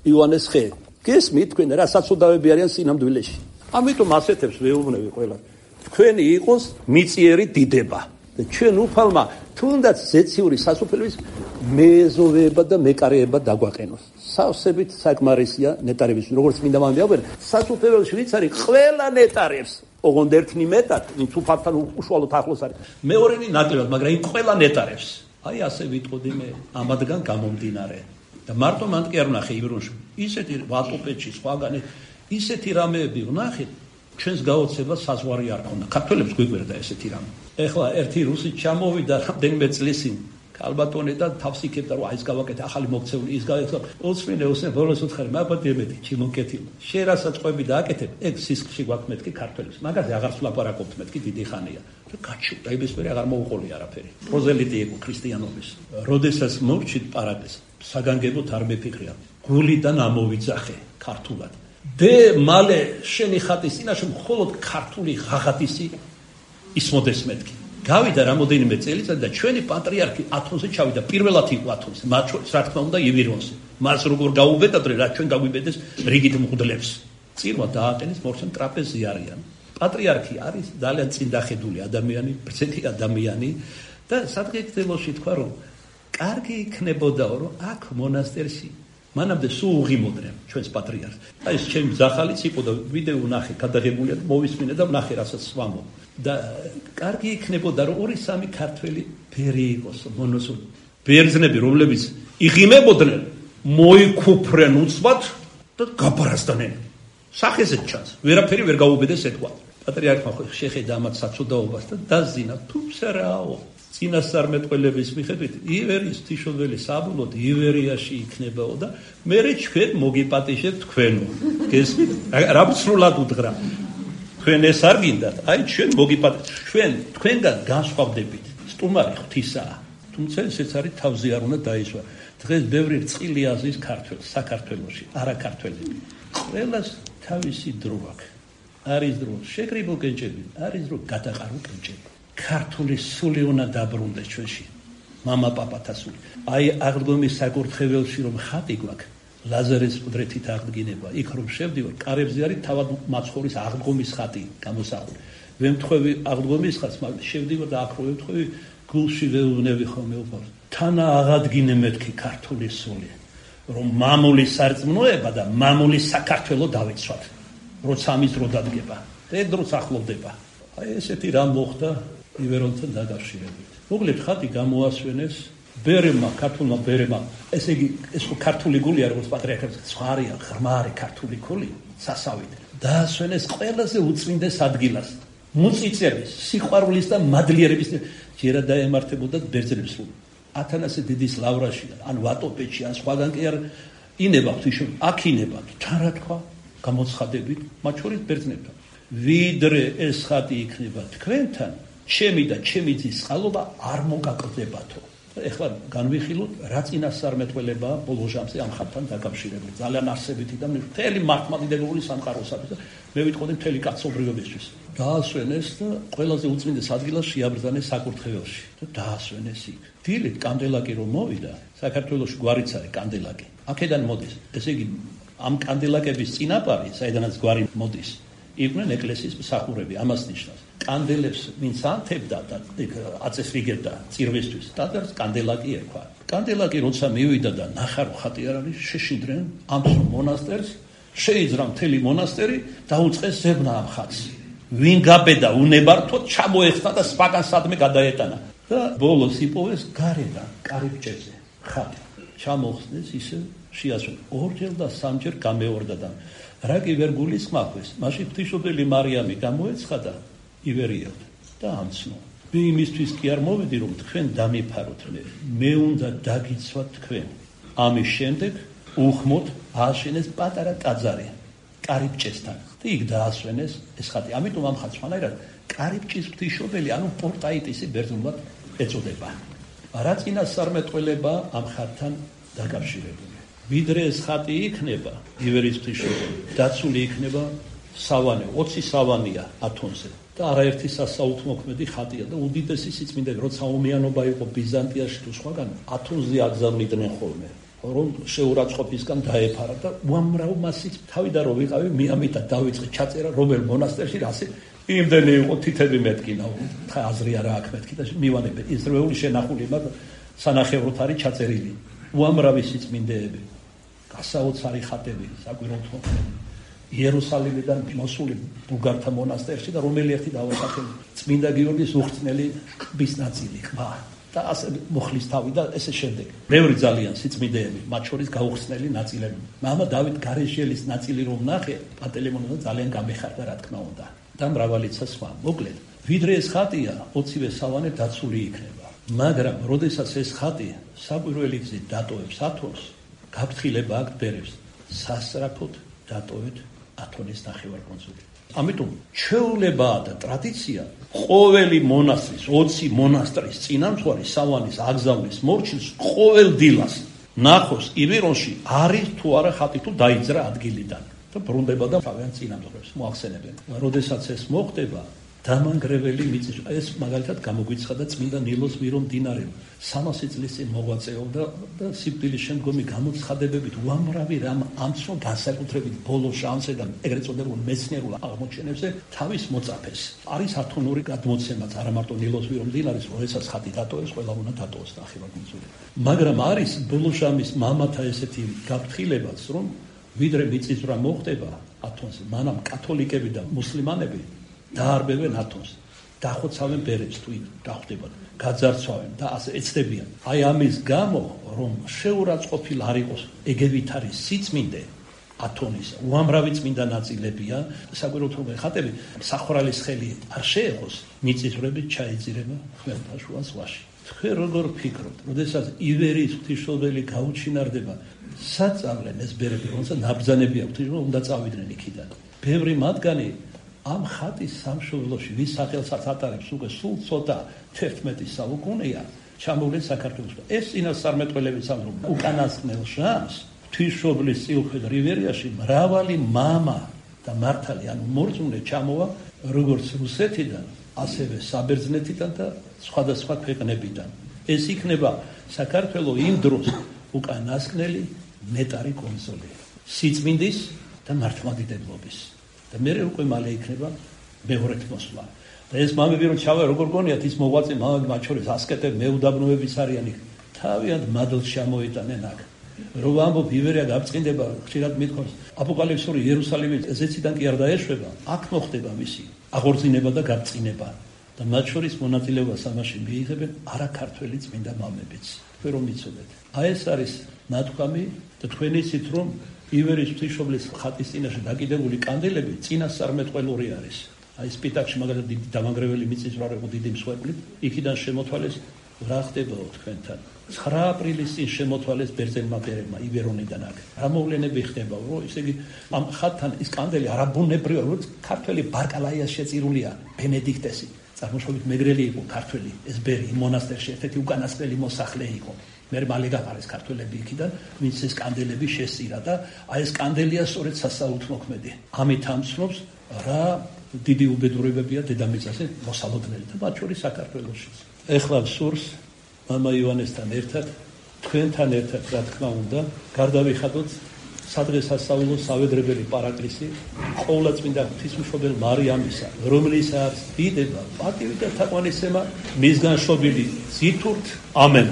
იოანეს ხე. გესმით თქვენ რა საწოდავები არიან სინამდვილეში. ამიტომ ასეთებს ვეუბნები ყველა. თქვენი იყოს მიწიერი დიდება და ჩვენ უფალმა თუნდაც ზეციური სასופელების მეზოვეება და მეკარეება დაგვაყენოს. სავსებით საკმარისია ნეტარების როგორც მინდა მამიაბერ სასופელში ვიც არის ყველა ნეტარებს ოღონდ ერთნი მეტად ვინც უფალთან უშუალოდ ახლოს არის მეორენი ნაკლებად მაგრამ იმ ყველა ნეტარებს აი ასე ვიტყოდი მე ამადგან გამომდინარე და მარტო მან კი არ ვნახე იბრუნში ისეთი ვატოპეჩი სხვაგან ისეთი რამეები ვნახე ჩვენს გაოცებას საზღვარი არ ქონდა ქართველებს გვიგვერდა ესეთი რამე ეხლა ერთი რუსი ჩამოვიდა რამდენიმე წლის წინ ალბათონე და თავს იქებდა რომ აი ეს გავაკეთე ახალი მოქცეული ის გავაკეთე ოცნე ბოლოს უთხარი მაგათ ემეთი ჩიმოკეთილ შენ რასაც ყვები დააკეთებ ეგ სისხლში გვაქვს მეთქი ქართველებს მაგაზე აღარ ვლაპარაკობთ მეთქი დიდი ხანია და გაჩუქდა იმის მერე აღარ მოუყოლი არაფერი პროზელიტი იყო ქრისტიანობის როდესაც მოვჩით პარადეს საგანგებოდ არ მეფიქრია გულიდან ამოვიძახე ქართულად დე მალე შენი ხატის წინაშე მხოლოდ ქართული ღაღადისი ისმოდეს მეთქი გავიდა რამოდენიმე წელიწადი და ჩვენი პატრიარქი ათონზე ჩავიდა პირველად იყო ათონზე მათ შორის რა თქმა უნდა ივირონზე მას როგორ გაუბედადრე რა ჩვენ გაგვიბედეს რიგით მღვდლებს წირვა დააყენეს მორჩენ ტრაპეზი არიან პატრიარქი არის ძალიან წინდახედული ადამიანი ბრძენი ადამიანი და სადღეგრძელოში თქვა რომ კარგი იქნებოდაო რომ აქ მონასტერში მანამდე სულ უღიმოდნენ ჩვენს პატრიარქს აი ეს ჩემი ძახალიც იყო და ვიდეო ნახე გადაღებულია მოვისმინე და ნახე რასაც ვამბობ და კარგი იქნებოდა რომ 2-3 ქართველი ბერი იყოს მონოსულ ბერძნები რომლებიც იღიმებოდნენ მოიქუფრენ უცბად და გაბარასდნენ სახეზე ჩანს ვერაფერი ვერ გაუბედეს ეთქვა პატრიარქმა ხო შეხედა ამათ საცოდაობას და დაზინა თუმცარაო წინასწარმეტყველების მიხედვით ივერიის ღვთისმშობელი საბოლოოდ ივერიაში იქნებაო და მერე ჩვენ მოგიპატიჟებთ თქვენო გესმით რა ვცრულად უდღრა თქვენ ეს არ გინდათ აი ჩვენ ჩვენ თქვენგან განსხვავდებით სტუმარი ღვთისაა თუმცა ესეც არის თავზე არ უნდა დაისვა დღეს ბევრი რწყილი აზრის ქართველ საქართველოში არა ქართველები ყველას თავისი დრო აქვს არის დრო შეკრიბო კენჭები არის დრო გადაყარო კენჭები ქართული სული უნდა დაბრუნდეს ჩვენში მამა პაპათა სული აი აღდგომის საკურთხეველში რომ ხატი გვაქვს ლაზარეს ყდრეთით აღდგინება იქ რომ შევდივარ კარებზე არის თავად მაცხოვრის აღდგომის ხატი გამოსახული ვემთხვევი აღდგომის ხატს მაგრამ შევდივარ და აქ რომ ვემთხვევი გულში ვეუბნები ხოლმე უფალს თანა აღადგინე მეთქი ქართული სული რომ მამული სარწმუნოება და მამული საქართველო დავიცვათ როცა ამის დრო დადგება და ეს დროც ახლოვდება აი ესეთი რამ მოხდა ივერონთან დაკავშირებით მოგლეთ ხატი გამოასვენეს ბერემა ქართულმა ბერემა ესე იგი ეს ქართული გულია როგორც პატრიარქებს ზღარია ღრმარი ქართული გული სასავით დაასვენეს ყველაზე უწმინდეს ადგილას მუწიწების სიყვარულის და მადლიერების ჯერა დაემართებოდა ბერძნებს ათანასე დიდის ლავრაში ან ვატოპეჩი ან სხვაგან კი არ ინება ღვთისმშობელი აქ ინება თან რა თქვა გამოცხადებით მათ შორის ბერძნებთან ვიდრე ეს ხატი იქნება თქვენთან ჩემი და ჩემი ძის წყალობა არ მოგაკლდებათო ეხლა განვიხილოთ რა წინასწარმეტყველებაა ბოლო ჟამზე ამ ხატთან დაკავშირებული ძალიან არსებითი და მთელი მართლმადიდებლური სამყაროსათვის და მე ვიტყოდი მთელი კაცობრიობისთვის დაასვენეს და ყველაზე უწმინდეს ადგილას შეაბრძანეს საკურთხეველში და დაასვენეს იქ დილით კანდელაკი რომ მოვიდა საქართველოში გვარიც არის კანდელაკი აქედან მოდის ესე იგი ამ კანდელაკების წინაპარი საიდანაც გვარი მოდის იყვნენ ეკლესიის მსახურები ამას ნიშნავს კანდელებს ვინც ანთებდა და აწესრიგებდა წირვისთვის და კანდელაკი ერქვა კანდელაკი როცა მივიდა და ნახა რომ ხატი არ არის შეშინდნენ ამ მონასტერს შეიძრა მთელი მონასტერი და უწყეს ზებნა ამ ხატს ვინ გაბედა უნებართოდ ჩამოეხსნა და სპაკან სადმე გადაეტანა და ბოლოს იპოვეს გარედან კარიბჭეზე ხატი ჩამოხსნეს ისე შეასვენეს ორჯერ და სამჯერ გამეორდა და რა კი ვერ გულისხმავეს მაშინ ღვთისმშობელი მარიამი გამოეცხადა ივერიელთ და ამცნო მე იმისთვის კი არ მოვედი რომ თქვენ დამიფაროთ მე უნდა დაგიცვათ თქვენ ამის შემდეგ უხმოდ ააშენეს პატარა ტაძარი კარიბჭესთან და იქ დაასვენეს ეს ხატი ამიტომ ამ ხატს ხანერად კარიბჭის ღვთისმშობელი ანუ პორტაიტისი ბერძნულად ეწოდება რა წინასწარმეტყველება ამ ხატთან დაკავშირებული ვიდრე ეს ხატი იქნება ივერიის ღვთისმშობელი დაცული იქნება სავანე 20 სავანია ათონზე და არაერთი სასაუთმოქმედი ხატია და უდიდესი სიწმინდე როცა ომიანობა იყო ბიზანტიაში თუ სხვაგან ათონზე აგზავნიდნენ ხოლმე რომ შეურაცხყოფისგან დაეფარა და უამრავ მასიც თავიდან რომ ვიყავი მიამიტა დავიწყე ჩაწერა რომელ მონასტერში რასე იმდენი იყო თითები მეტკინა აზრი არა აქ მეთქი და მივანებე ისრაელი შენახული მაგრამ სანახევროთ არის ჩაწერილი უამრავი სიწმინდეები გასაოცარი ხატები საკვირველთმო იერუსალიმიდან მოსული ბულგართა მონასტერში და რომელი ერთი დავასახელი წმინდა გიორგის უხრწნელი ყბის ნაწილი ყბა და ასე მოხლის თავი და ესე შემდეგ ბევრი ძალიან სიწმინდეები მათ შორის გაუხსნელი ნაწილები მამა დავით გარეშელის ნაწილი რომ ნახე პანტელეიმონმა ძალიან გამეხარდა რა თქმა უნდა და მრავალიცა სხვა მოკლედ ვიდრე ეს ხატია 20-ვე სავანე დაცული იქნება მაგრამ როდესაც ეს ხატი საკვირველი გზით დატოვებს ათონს, გაფრთხილება აქ ბერებს სასწრაფოდ დატოვეთ ათონის ნახევარკუნძული. ამიტომ ჩვეულებაა და ტრადიცია ყოველი მონასტრის 20 მონასტრის წინამძღვარი სავანის აგზავნის მორჩილს ყოველ დილას ნახოს ივერონში არის თუ არა ხატი თუ დაიძრა ადგილიდან და ბრუნდება და თავიანთ წინამძღვრებს მოახსენებენ. როდესაც ეს მოხდება დამანგრეველი მიწის ეს მაგალითად გამოგვიცხადა წმინდა ნილოს მირო მდინარე 300 წლის წინ მოღვაწეობდა და სიკვდილის შემდგომი გამოცხადებებით უამრავი რამ ამცნო განსაკუთრებით ბოლო შანსზე და ეგრეთ წოდებულ მეცნიერულ აღმოჩენებზე თავის მოწაფეს. არის ათონური გადმოცემაც არა მარტო ნილოს მირო მდინარის, როდესაც ხატი დატოვეს, ყველა უნდა დატოვოს ნახევარკუნძული. მაგრამ არის ბოლო შამის მამათა ესეთი გაფრთხილებაც, რომ ვიდრე მიწისძვრა მოხდება ათონზე, მანამ კათოლიკები და მუსლიმანები დაარბევენ ათონს, დახოცავენ ბერებს თუ დახვდებათ, გაძარცვავენ და ასე ეცდებიან. აი ამის გამო, რომ შეურაცხყოფილ არ იყოს ეგევითარი სიწმინდე ათონის, უამრავი წმინდა ნაწილებია, საკვირველთმოქმედი ხატები სახვრალის ხელი არ შეეხოს, მიწისძვრებით ჩაიძირება ხმელთაშუა ზღვაში. თქვენ როგორ ფიქრობთ, როდესაც ივერიის ღვთისმშობელი გაუჩინარდება, საწავლენ ეს ბერები, რომელსაც ნაბრძანები აქვთ, უნდა წავიდნენ იქიდან. ბევრი მათგანი ამ ხატის სამშობლოში ვის სახელსაც ატარებს უკვე სულ ცოტა 11 საუკუნეა ჩამოვლენ საქართველოს. ეს წინასწარმეტყველებიც ამბობენ, უკანასკნელ შამს ღვთისმშობლის წილხვედ რივერიაში მრავალი მამა და მართალი ანუ მორწმუნე ჩამოვა როგორც რუსეთიდან, ასევე საბერძნეთიდან და სხვადასხვა ქვეყნებიდან. ეს იქნება საქართველოს იმ დროს უკანასკნელი ნეტარი კონსოლი სიწმინდის და მართლმადიდებლობის. და მე უკვე მალე იქნება მეორეთ მოსვლა. და ეს მამები რომ ჩავა როგორ გონიათ ის მოღვაწე მამები მათ შორის ასკეტები მეუდაბნოებიც არიან იქ. თავიანთ მადლს ჩამოიტანენ აქ. რომ ამბობ ივერია გაბწყინდება, ხშირად მithქვას აპოკალიფსური იერუსალიმი ზეციდან კი არ დაეშვება, აქ მოხდება მისი აღორძინება და გაბწყინება. და მათ შორის მონაწილეობას ამაში მიიღებენ არაქართველი წმინდა მამებიც. თქვენ რომ იცოდეთ. აი ეს არის ნათქვამი და თქვენ იცით რომ ივერიის ღვთისმშობლის ხატის წინაშე დაკიდებული კანდელები წინასწარმეტყველური არის. აი სპიტაკში მაგალითად დიდი დამანგრეველი მიწისძვრა იყო დიდი მსხვერპლით, იქიდან შემოთვალეს რა ხდებაო თქვენთან. 9 აპრილის წინ შემოთვალეს ბერძენმა ბერებმა ივერონიდან აქ. რა მოვლენები ხდებაო, რომ ისე იგი ამ ხატთან ის კანდელი არაბუნებრივია, რომ ქართველი ბარკალაიას შეწირულია ბენედიქტესი. წარმოშობით მეგრელი იყო ქართველი, ეს ბერი იმ მონასტერში ერთ-ერთი უკანასკნელი მოსახლე იყო. მე მალე გაყარეს ქართველები იქიდან, ვინც ეს კანდელები შესწირა და აი ეს კანდელია სწორედ სასწაულთმოქმედი. ამით ამცნობს რა დიდი უბედურებებია დედამიწაზე მოსალოდნელი და მათ შორის საქართველოშიც. ეხლა სურს მამა ივანესთან ერთად, თქვენთან ერთად რა თქმა უნდა, გარდავიხადოთ სადღესასწაულო სავედრებელი პარაკლისი ყოვლადწმინდა ღვთისმშობელ მარიამისა, რომლისაც დიდება, პატივი და თაყვანისცემა მისგან შობილი ზითურთ. ამენ.